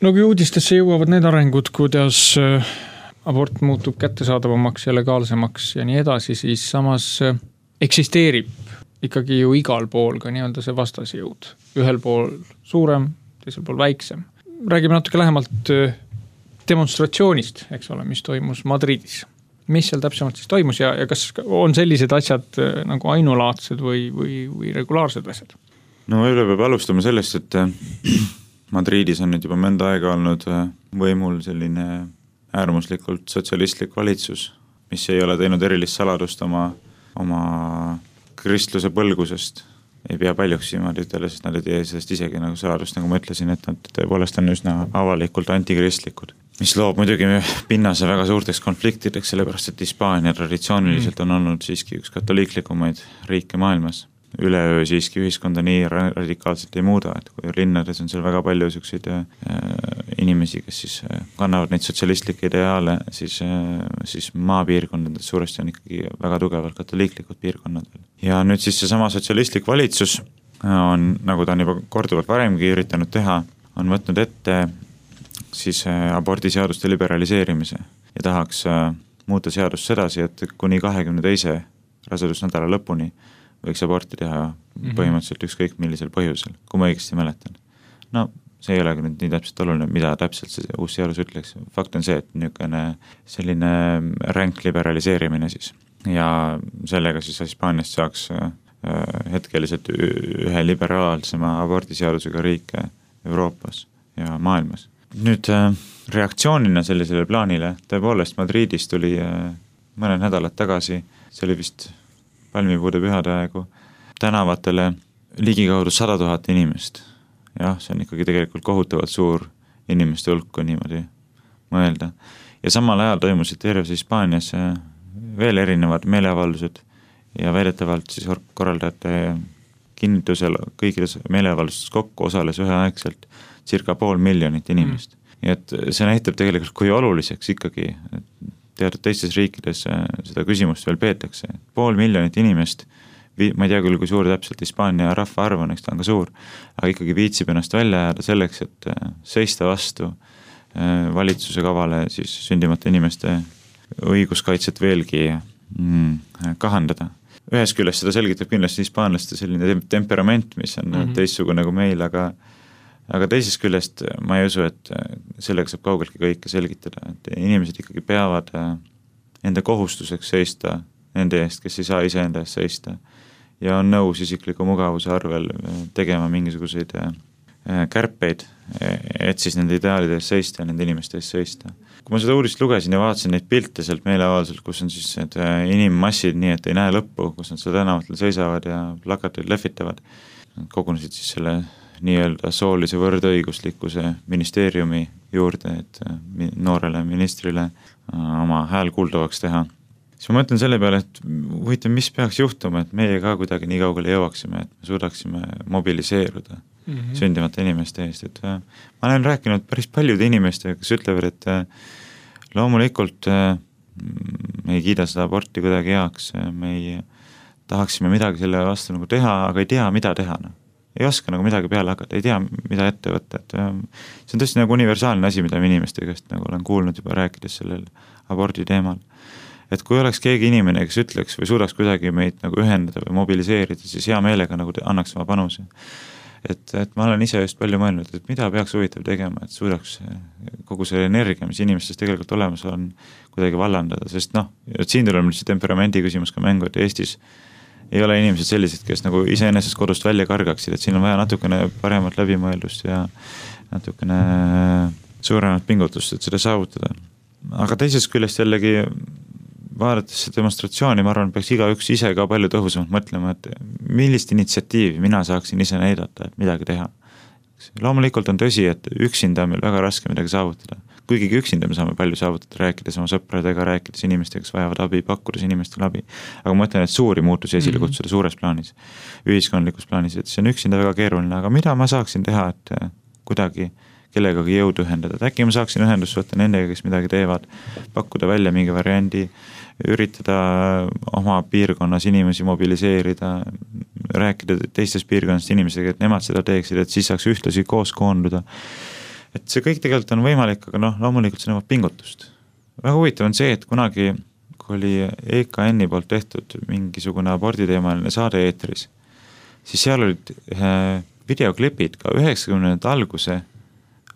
No kui uudistesse jõuavad need arengud, kuidas abort muutub kättesaadavamaks ja legaalsemaks ja nii edasi, siis samas eksisteerib ikkagi ju igal pool ka nii-öelda see vastasjõud. Ühel pool suurem, teisel pool väiksem. Räägime natuke lähemalt demonstratsioonist, eks ole, mis toimus Madridis. Mis seal täpsemalt siis toimus ja, ja kas on sellised asjad nagu ainulaadsed või, või, või regulaarsed asjad? No üle peab alustama sellest, et Madridis on nüüd juba mõnda aega olnud võimul selline äärmuslikult sotsialistlik valitsus, mis ei ole teinud erilist saladust oma, oma kristluse põlgusest. Ei pea paljuks niimoodi ütelda, sest nad ei tee sellest isegi nagu saladust, nagu ma ütlesin, et nad tõepoolest on üsna avalikult antikristlikud. Mis loob muidugi pinnase väga suurteks konfliktideks, sellepärast et Hispaania traditsiooniliselt on olnud siiski üks katoliiklikumaid riike maailmas. Üleöö siiski ühiskonda nii radikaalselt ei muuda, et kui linnades on seal väga palju selliseid inimesi, kes siis kannavad neid sotsialistlikke ideaale, siis, siis maapiirkondades suuresti on ikkagi väga tugevalt katoliiklikud piirkonnad. Ja nüüd siis see sama sotsialistlik valitsus on, nagu ta on juba korduvalt varemgi üritanud teha, on võtnud ette siis abordiseaduste liberaliseerimise ja tahaks muuta seadust sedasi, et kuni kahekümne teise rasedusnädala lõpuni võiks aborti teha põhimõtteliselt ükskõik millisel põhjusel, kui ma õigesti mäletan. No see ei ole nüüd nii täpselt oluline, mida täpselt see uus seadus ütleks. Fakt on see, et niisugune selline ränk liberaliseerimine siis. Ja sellega siis Hispaaniast saaks hetkeliselt ühe liberaalsema abordiseadusega riike Euroopas ja maailmas. Nüüd reaktsioonina sellisele plaanile, tõepoolest Madridis tuli mõned nädalad tagasi, see oli vist palmipuude pühade aegu, tänavatele ligikaudu sada tuhat inimest. Jah, see on ikkagi tegelikult kohutavalt suur inimeste hulk, kui niimoodi mõelda. Ja samal ajal toimusid terves Hispaanias veel erinevad meeleavaldused ja väidetavalt siis korraldajate kinnitusel kõikides meeleavaldustes kokku osales üheaegselt circa pool miljonit inimest. Mm. Ja et see näitab tegelikult, kui oluliseks ikkagi teatud teistes riikides seda küsimust veel peetakse. Pool miljonit inimest, ma ei tea küll, kui suur täpselt Hispaania rahva arv on, eks ta on ka suur, aga ikkagi viitsib ennast välja jääda selleks, et seista vastu valitsuse kavale siis sündimata inimeste õiguskaitset veelgi kahandada. Ühes küljest seda selgitab kindlasti hispaanlaste selline temperament, mis on mm-hmm. teistsugune kui meil, aga Aga teisest küljest ma ei usu, et sellega saab kaugeltki kõike selgitada, et inimesed ikkagi peavad enda kohustuseks seista nende eest, kes ei saa ise enda eest seista ja on nõus isikliku mugavuse arvel tegema mingisuguseid kärpeid, et siis nende ideaalide eest seista ja nende inimeste eest seista. Kui ma seda uudist lugesin ja vaatasin neid pilte sealt meeleavalduselt, kus on siis need inimmassid nii, et ei näe lõppu, kus nad seal tänavatel seisavad ja plakatid lehvitavad, kogunesid siis selle nii-öelda soolise võrdõiguslikkuse ministeeriumi juurde, et noorele ministrile oma hääl kuuldavaks teha. Siis ma mõtlen selle peale, et huvitav, mis peaks juhtuma, et meie ka kuidagi nii kaugele jõuaksime, et me suudaksime mobiliseeruda mm-hmm. sündimata inimeste eest. Et ma olen rääkinud päris paljude inimestega, kes ütlevad, et loomulikult me ei kiida seda aborti kuidagi heaks, me ei tahaksime midagi selle vastu nagu teha, aga ei tea, mida teha. No. Ei oska nagu midagi peale hakata, ei tea, mida ette võtta. Et see on tõesti nagu universaalne asi, mida inimeste käest nagu olen kuulnud juba rääkides sellel abordi teemal. Et kui oleks keegi inimene, kes ütleks või suudaks kuidagi meid nagu ühendada või mobiliseerida, siis hea meelega nagu annaks oma panuse. Et, et ma olen ise just palju mõelnud, et mida peaks huvitav tegema, et suudaks kogu see energia, mis inimestes tegelikult olemas on, kuidagi vallandada, sest noh, siin tuleb see temperamendi küsimus ka mängu, et Eestis ei ole inimesed sellised, kes nagu iseenesest kodust välja kargaksid, et siin on vaja natukene paremat läbimõeldust ja natukene suuremat pingutust, et seda saavutada. Aga teisest küljest jällegi vaadates see demonstratsiooni, ma arvan, peaks iga üks ise ka palju tõhusamalt mõtlema, et millist initsiatiivi mina saaksin ise näidata, et midagi teha. Loomulikult on tõsi, et üksinda on meil väga raske midagi saavutada. Kuigi üksinda me saame palju saavutada, rääkides oma sõpradega, rääkides inimestega, kes vajavad abi, pakkudes inimestele abi. Aga ma mõtlen, et suuri muutusi esile kutsuda suures plaanis, ühiskondlikus plaanis, et see on üksinda väga keeruline, aga mida ma saaksin teha, et kuidagi kellegagi jõudu ühendada. Et äkki ma saaksin ühendust võtta nendega, kes midagi teevad, pakkuda välja mingi variandi, üritada oma piirkonnas inimesi mobiliseerida, rääkida teistes piirkonnast inimesega, et nemad seda teeksid, et siis saaks ühtlasi koos koonduda. Et see kõik tegelikult on võimalik, aga noh, loomulikult see nõuab pingutust. väga huvitav on see, et kunagi, kui oli E K N-i poolt tehtud mingisugune aborditeemaline saade eetris, siis seal olid videoklipid ka üheksakümnendate alguse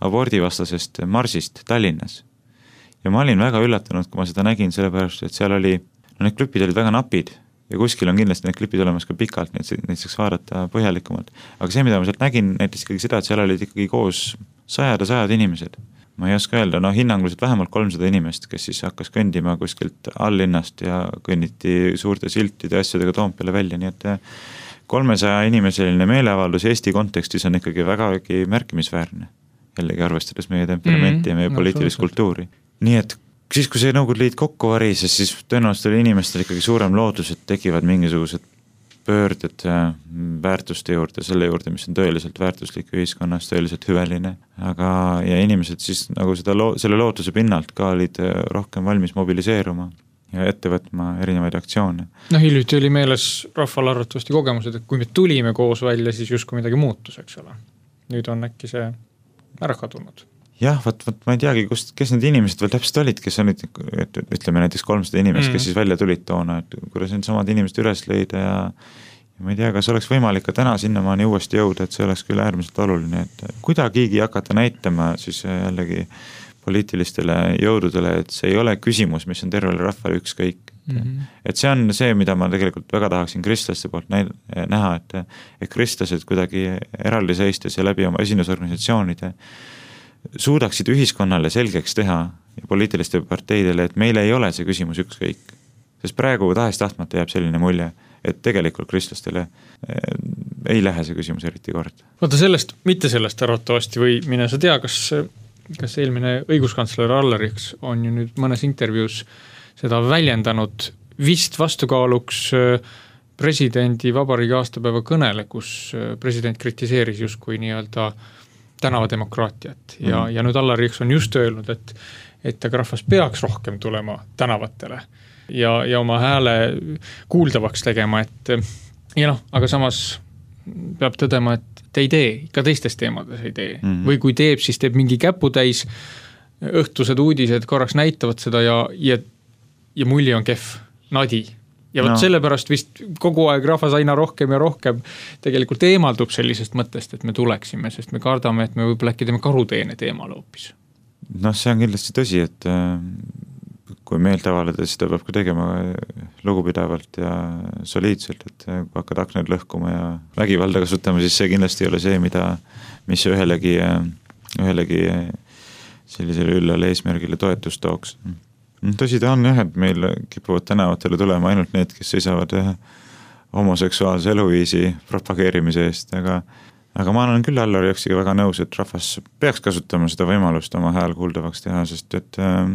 abordivastasest marsist Tallinnas. Ja ma olin väga üllatunud, kui ma seda nägin, sellepärast, et seal oli, no need klipid olid väga napid ja kuskil on kindlasti need klipid olemas ka pikalt, neid, neid saaks vaadata põhjalikumalt. Aga see, mida ma sealt nägin, näitas ikkagi seda, et seal olid ikkagi koos sajad ja sajad inimesed. Ma ei oska öelda, no hinnanguliselt vähemalt kolmsada inimest, kes siis hakkas kõndima kuskilt alllinnast ja kõnniti suurte siltide ja asjadega Toompeale välja, nii et kolmesaja inimeseline meeleavaldus Eesti kontekstis on ikkagi vägagi märkimisväärne. Jällegi arvestades meie temperamenti mm-hmm. ja meie no, poliitilist kultuuri. Nii et siis, kui see Nõukogude Liit kokku varises, siis tõenäoliselt oli inimestel ikkagi suurem lootus, et tekivad mingisugused pöörded väärtuste juurde, selle juurde, mis on tõeliselt väärtuslik ühiskonnas, tõeliselt hüveline. Aga, ja inimesed siis nagu seda loo, selle lootuse pinnalt ka olid rohkem valmis mobiliseeruma ja ette võtma erinevaid aktsioone. No hiljuti oli meeles rahval arvatavasti kogemused, et kui me tulime koos välja, siis justkui midagi muutus, eks ole. Nüüd on äkki see ära kadunud. Jah, võt, võt, ma ei teagi, kust, kes need inimesed veel täpselt olid, kes on, et, ütleme näiteks kolmsada inimest, mm. kes siis välja tulid toona, et kuidas need samad inimesed üles leida ja, ja ma ei tea, kas oleks võimalik ka täna sinnamaani uuesti jõuda, et see oleks küll äärmiselt oluline, et kuidagigi hakata näitama siis jällegi poliitilistele jõududele, et see ei ole küsimus, mis on tervele rahvale ükskõik. Mm-hmm. Et see on see, mida ma tegelikult väga tahaksin kristlaste poolt näha, et, et kristlased kuidagi eraldi seistes ja läbi oma esindusorganisatsioonide suudaksid ühiskonnale selgeks teha ja poliitiliste parteidele, et meil ei ole see küsimus ükskõik. Sest praegu tahest tahtmata jääb selline mulje, et tegelikult kristlastele ei lähe see küsimus eriti kord. Vaata sellest, mitte sellest arvatavasti või mine sa tea, kas, kas eelmine õiguskantsler Alleriks on ju nüüd mõnes intervjuus seda väljendanud vist vastukaaluks presidendi vabariigi aastapäeva kõnele, kus president kritiseeris justkui nii-öelda tänavademokraatiat ja, mm. ja nüüd Alleriks on just öelnud, et, et aga rahvas peaks rohkem tulema tänavatele ja, ja oma hääle kuuldavaks tegema, et ja noh, aga samas peab tõdema, et te ei tee, ikka teistes teemades ei tee. Mm. Või kui teeb, siis teeb mingi käputäis, õhtused uudised korraks näitavad seda ja, ja, ja mulli on kehv, nadi. Ja võt no. Sellepärast vist kogu aeg rahvas aina rohkem ja rohkem tegelikult eemaldub sellisest mõttest, et me tuleksime, sest me kardame, et me võib-olla äkki teeme karuteene teemal hoopis. Noh, see on kindlasti tõsi, et kui meelt avaleda, seda peab ka tegema lugupidavalt ja soliidselt, et kui hakkad aknad lõhkuma ja vägivalda kasutama, siis see kindlasti ei ole see, mida, mis ühelegi, ühelegi sellisele üllale eesmärgile toetust tooks. Tõsi ta on jah, et meil kipuvad tänavatele tulema ainult need, kes seisavad homoseksuaalse eluviisi propageerimise eest, aga, aga ma olen küll Allari Jõksiga väga nõus, et rahvas peaks kasutama seda võimalust oma hääl kuuldavaks teha, sest et äh,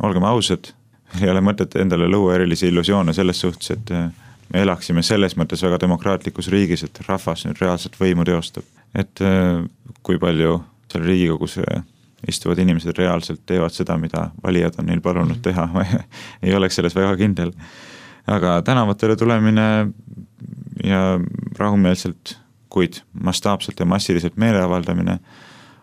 olgem ausad, ei ole mõtet endale luua erilisi illusioone selles suhtes, et äh, me elaksime selles mõttes väga demokraatlikus riigis, et rahvas nüüd reaalselt võimu teostab. Et äh, kui palju seal Riigikogus äh, istuvad inimesed reaalselt teevad seda, mida valijad on neil palunud teha. Ma ei oleks selles väga kindel. Aga tänavatele tulemine ja rahumeelselt, kuid mastaapselt ja massiliselt meeleavaldamine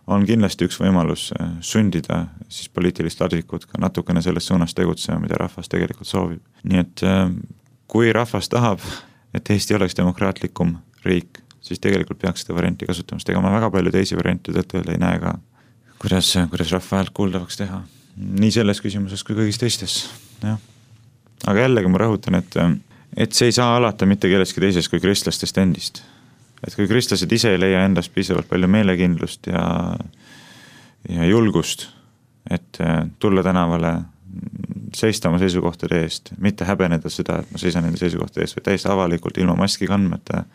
on kindlasti üks võimalus sundida siis poliitilist advikut ka natukene selles suunas tegutsema, mida rahvas tegelikult soovib. Nii et kui rahvas tahab, et Eesti oleks demokraatlikum riik, siis tegelikult peaks seda varianti kasutamast. Ega ma väga palju teisi variante tõttel ei näe ka. Kuidas, kuidas rahva häält kuuldavaks teha. Nii selles küsimuses kui kõigis teistes. Ja. Aga jällegi ma rõhutan, et, et see ei saa alata mitte kelleski teises kui kristlastest endist. Et kui kristlased ise ei leia endast piisavalt palju meelekindlust ja, ja julgust, et tulla tänavale, seista oma seisukohtade eest, mitte häbeneda seda, et ma seisan enda seisukohtade eest, või täiesti avalikult ilma maski kandmata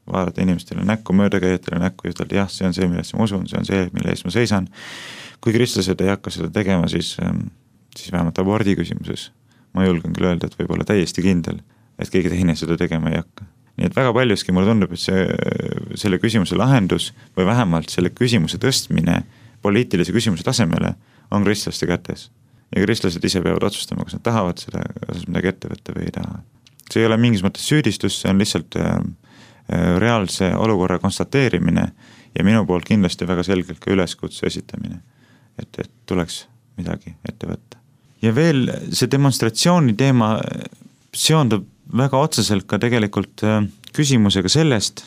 vaadata inimestele näkku, möödakäijatele näkku ja ütelda, jah, see on see, millesse ma usun, see on see, mille eest ma seisan. Kui kristlased ei hakka seda tegema, siis, siis vähemalt abordi küsimuses ma julgen küll öelda, et võib olla täiesti kindel, et keegi teine seda tegema ei hakka. Nii et väga paljuski mulle tundub, et see, selle küsimuse lahendus või vähemalt selle küsimuse tõstmine poliitilise küsimuse tasemele on kristlaste kätes. Ja kristlased ise peavad otsustama, kas nad tahavad seda, kas midagi ette võtta või ei taha. See ei ole mingis mõttes süüdistus, see on lihtsalt reaalse olukorra konstateerimine ja minu poolt kindlasti väga selgelt ka üleskutse esitamine, et, et tuleks midagi ette võtta. ja veel see demonstratsiooni teema seondub väga otseselt ka tegelikult küsimusega sellest,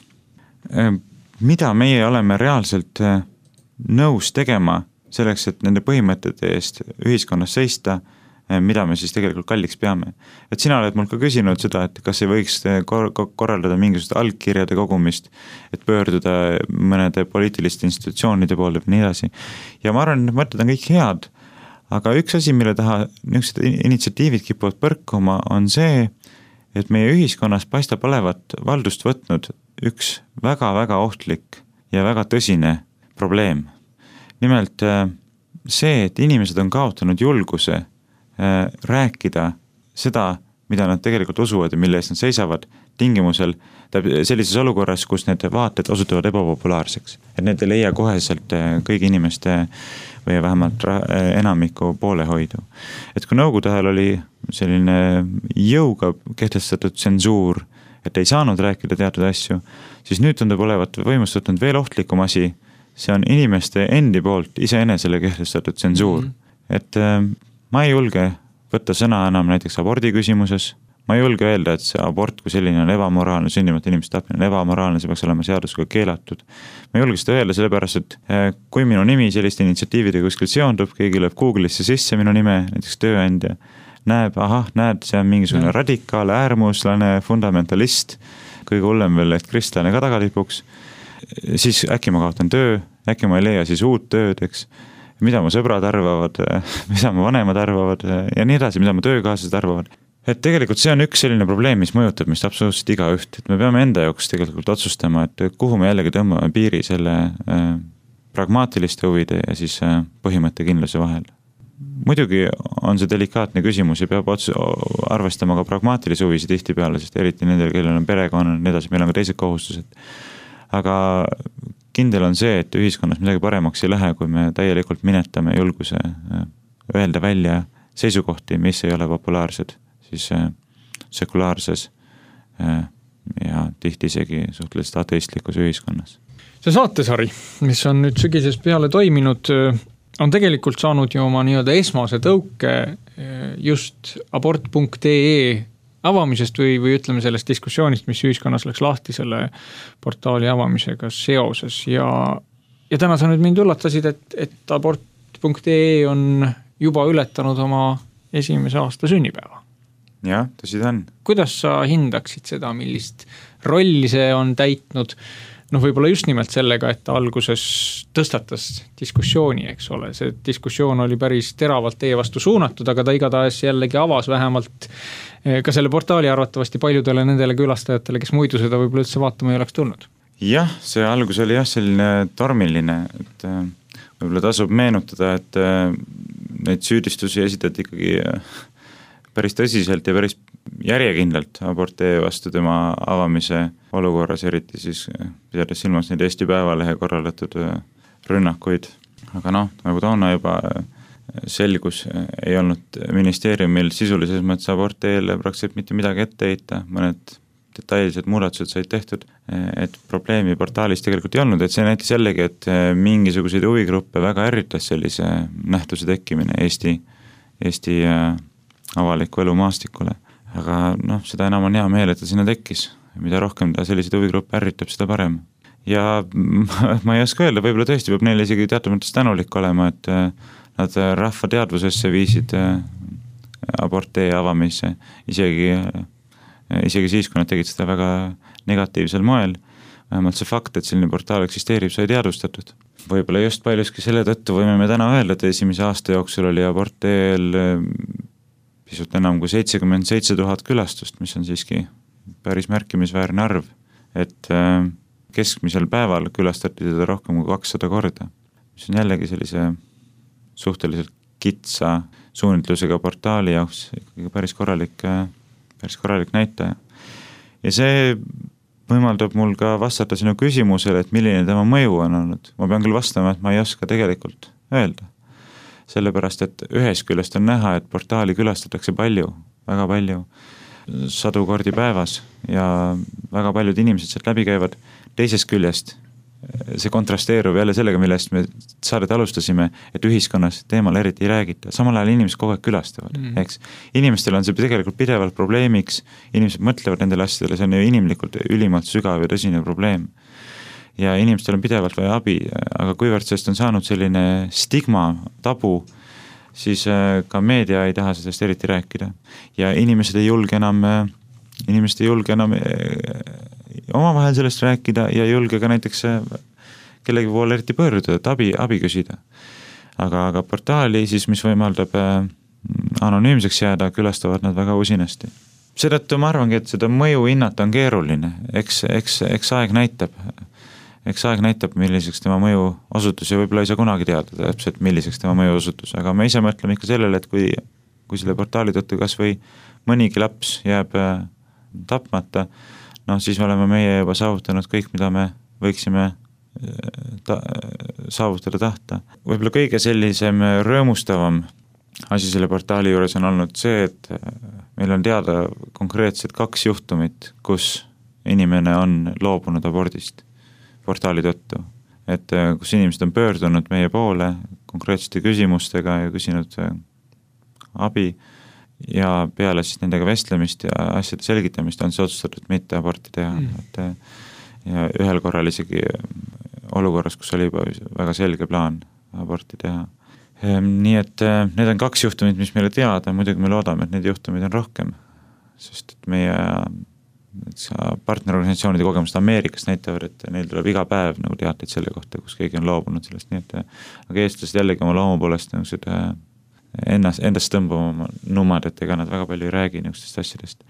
mida meie oleme reaalselt nõus tegema selleks, et nende põhimõtete eest ühiskonnas seista, mida me siis tegelikult kalliks peame. Et sina oled mul ka küsinud seda, et kas ei võiks kor- korraldada mingisugust allkirjade kogumist, et pöörduda mõnede poliitiliste institutsioonide poole või nii edasi. Ja ma arvan, et mõtted on kõik head, aga üks asi, mille taha niisugused initsiatiivid kipuvad põrkuma, on see, et meie ühiskonnas paistab olevat valdust võtnud üks väga-väga ohtlik ja väga tõsine probleem. Nimelt see, et inimesed on kaotanud julguse rääkida seda, mida nad tegelikult usuvad ja mille eest nad seisavad tingimusel sellises olukorras, kus need vaated osutuvad ebapopulaarseks. Et need ei leia koheselt kõigi inimeste või vähemalt enamiku poolehoidu. Et kui nõukogude ajal oli selline jõuga kehtestatud tsensuur, et ei saanud rääkida teatud asju, siis nüüd tundub olevat võimust võtnud veel ohtlikum asi. See on inimeste endi poolt iseenesele kehtestatud tsensuur. Mm-hmm. Et ma ei julge võtta sõna enam näiteks abordi küsimuses. Ma ei julge öelda, et see abort kui selline on ebamoraalne, sündimata inimeste tapmine on ebamoraalne, see peaks olema seadusega keelatud. Ma ei julge seda öelda sellepärast, et kui minu nimi selliste initsiatiivide kuskil seondub, keegi lööb Google'isse sisse minu nime, näiteks tööandja, näeb, ahah, näed, see on mingisugune ja. radikaal, äärmuslane, fundamentalist, kõige hullem veel, et kristlane ka tagatipuks, siis äkki ma kaotan töö, äkki ma ei leia siis uut tööd, eks, mida mu sõbrad arvavad, mida mu vanemad arvavad ja nii edasi, mida mu töökaaslased arvavad. Et tegelikult see on üks selline probleem, mis mõjutab mist absoluutselt iga üht, et me peame enda jaoks tegelikult otsustama, et kuhu me jällegi tõmbame piiri selle äh, pragmaatiliste huvide ja siis äh, põhimõttekindluse vahel. Muidugi on see delikaatne küsimus ja peab otsu, arvestama ka pragmaatilisi huvisid tihtipeale, sest eriti nendel, kellel on perekonnad, nii edasi, meil on ka teised kohustused. Aga kindel on see, et ühiskonnas midagi paremaks ei lähe, kui me täielikult minetame julguse öelda välja seisukohti, mis ei ole populaarsed siis sekulaarses ja tihti isegi suhteliselt ateistlikus ühiskonnas. See saatesari, mis on nüüd sügises peale toiminud, on tegelikult saanud ju oma nii-öelda esmase tõuke just abort punkt ee avamisest või, või ütleme sellest diskussioonist, mis ühiskonnas läks lahti selle portaali avamisega seoses. Ja, ja täna sa nüüd mind üllatasid, et, et abort punkt ee on juba ületanud oma esimese aasta sünnipäeva. Jah, tõsi ta on. Kuidas sa hindaksid seda, millist rolli see on täitnud? Noh, võib-olla just nimelt sellega, et ta alguses tõstatas diskussiooni, eks ole. See diskussioon oli päris teravalt teie vastu suunatud, aga ta igatahes jällegi avas vähemalt ka selle portaali arvatavasti paljudele nendele külastajatele, kes muidu seda võib-olla üldse vaatama ei oleks tulnud. Jah, see algus oli jah selline tormiline, et võib-olla tasub meenutada, et neid süüdistusi esitati ikkagi päris tõsiselt ja päris järjekindlalt abortee vastu tema avamise olukorras, eriti siis pidades silmas neid Eesti Päevalehe korraldatud rünnakuid. Aga noh, nagu toona juba selgus, ei olnud ministeeriumil sisulises mõttes aborteele praktiliselt mitte midagi ette heita, mõned detailsed muudatused said tehtud, et probleemi portaalis tegelikult ei olnud, et see näitas jällegi, et mingisuguseid huvigruppe väga ärritas sellise nähtuse tekkimine Eesti, Eesti avaliku elu maastikule. Aga noh, seda enam on hea meel, et ta sinna tekkis. Mida rohkem ta selliseid huvigruppe ärritab, seda parem. Ja ma ei oska öelda, võib-olla tõesti peab neile isegi teatud mõttes tänulik olema, et nad rahva teadvusesse viisid abortee avamise, isegi, isegi siis, kui nad tegid seda väga negatiivsel moel. Vähemalt see fakt, et selline portaal eksisteerib, sai teadvustatud. Võib-olla just paljuski selle tõttu võime me täna öelda, et esimese aasta jooksul oli aborteel pisut enam kui seitsekümmend seitse tuhat külastust, mis on siiski päris märkimisväärne arv, et keskmisel päeval külastati teda rohkem kui kakssada korda, mis on jällegi sellise suhteliselt kitsa suunitlusega portaali jaoks ikkagi päris korralik, päris korralik näitaja. Ja see võimaldab mul ka vastata sinu küsimusele, et milline tema mõju on olnud. Ma pean küll vastama, et ma ei oska tegelikult öelda. Sellepärast, et ühes küljest on näha, et portaali külastatakse palju, väga palju, sadu kordi päevas ja väga paljud inimesed sealt läbi käivad. Teisest küljest see kontrasteerub jälle sellega, millest me saadet alustasime, et ühiskonnas teemal eriti ei räägita. Samal ajal inimesed kogu aeg külastavad, mm. eks. Inimestel on see tegelikult pidevalt probleemiks, inimesed mõtlevad nendele asjadele, see on ju inimlikult ülimalt sügav ja tõsine probleem. Ja inimestel on pidevalt vaja abi, aga kuivõrd sellest on saanud selline stigma, tabu, siis ka meedia ei taha sellest eriti rääkida. Ja inimesed ei julge enam, inimesed ei julge enam omavahel sellest rääkida ja ei julge ka näiteks kellegi poole eriti pöörduda, et abi, abi küsida. Aga, aga portaali siis, mis võimaldab anonüümseks jääda, külastavad nad väga usinasti. Seetõttu ma arvangi, et seda mõju hinnata on keeruline. Eks, eks, eks aeg näitab. Eks aeg näitab, milliseks tema mõju osutus ja võib-olla ei saa kunagi teada täpselt, milliseks tema mõju osutus. Aga me ise mõtleme ikka sellele, et kui, kui selle portaali tõttu kas või mõnigi laps jääb tapmata, noh, siis me oleme meie juba saavutanud kõik, mida me võiksime ta, saavutada tahta. Võib-olla kõige sellisem rõõmustavam asi selle portaali juures on olnud see, et meil on teada konkreetselt kaks juhtumit, kus inimene on loobunud abordist portaali tõttu. Et kus inimesed on pöördunud meie poole konkreetsete küsimustega ja küsinud abi, ja peale siis nendega vestlemist ja asjade selgitamist on see otsustatud mitte aborti teha. Mm. Et, ja ühel korral isegi olukorras, kus oli juba väga selge plaan aborti teha. Nii et need on kaks juhtumit, mis meile teada, muidugi me loodame, et need juhtumid on rohkem, sest et meie partnerorganisatsioonide kogemused Ameerikast näitavad, et neil tuleb iga päev nagu teateid selle kohta, kus keegi on loobunud sellest, nii et aga eestlased jällegi oma loomu poolest nagu seda ennast, endast tõmbama numad, et ega nad väga palju ei räägi niisugustest asjadest.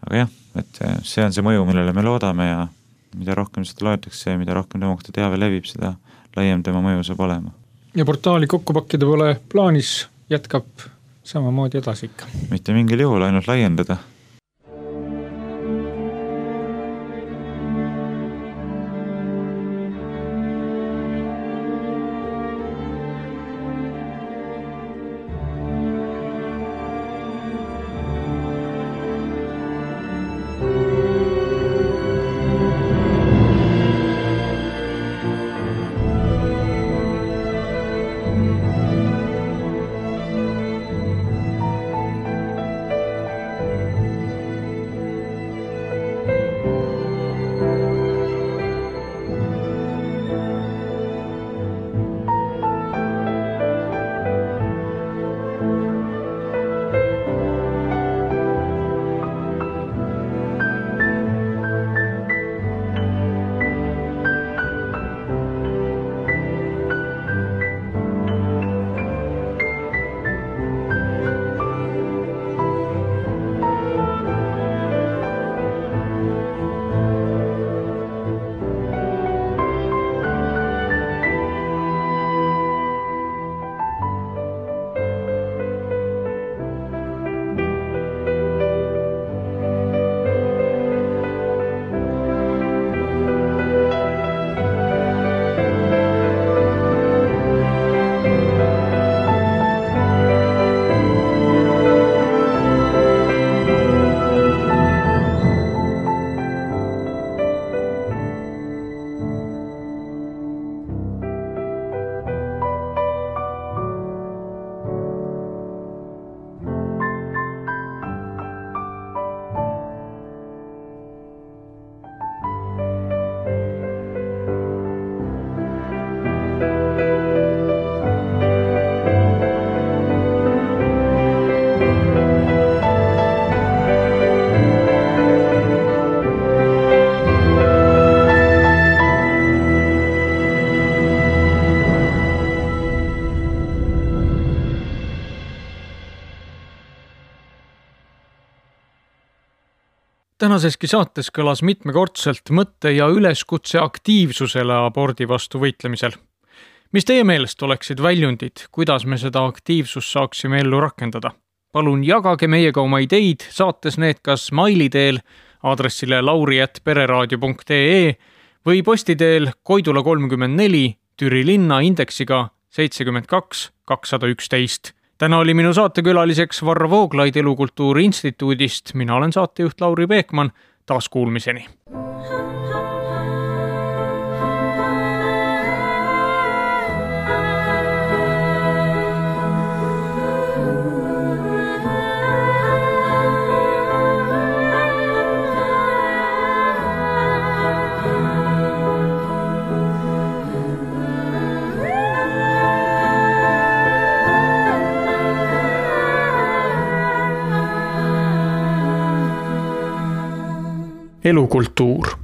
Aga jah, et see on see mõju, millele me loodame ja mida rohkem seda loetakse ja mida rohkem tema kohta teave levib, seda laiem tema mõju saab olema. Ja portaali kokku pakkida pole plaanis, jätkab samamoodi edasi ikka. Mitte mingil juhul, ainult laiendada. Tänaseski saates kõlas mitmekordselt mõtte ja üleskutse aktiivsusele abordi vastu võitlemisel. Mis teie meelest oleksid väljundid, kuidas me seda aktiivsust saaksime ellu rakendada? Palun jagage meiega oma ideid, saates need kas maili teel aadressile lauri at pereraadio punkt ee või posti teel Koidula kolmkümmend neli Türi linna indeksiga seitsekümmend kaks kakssada üksteist. Täna oli minu saatekülaliseks Varro Vooglaid Elukultuuri Instituudist. Mina olen saatejuht Lauri Peekman. Taas kuulmiseni. elukultuur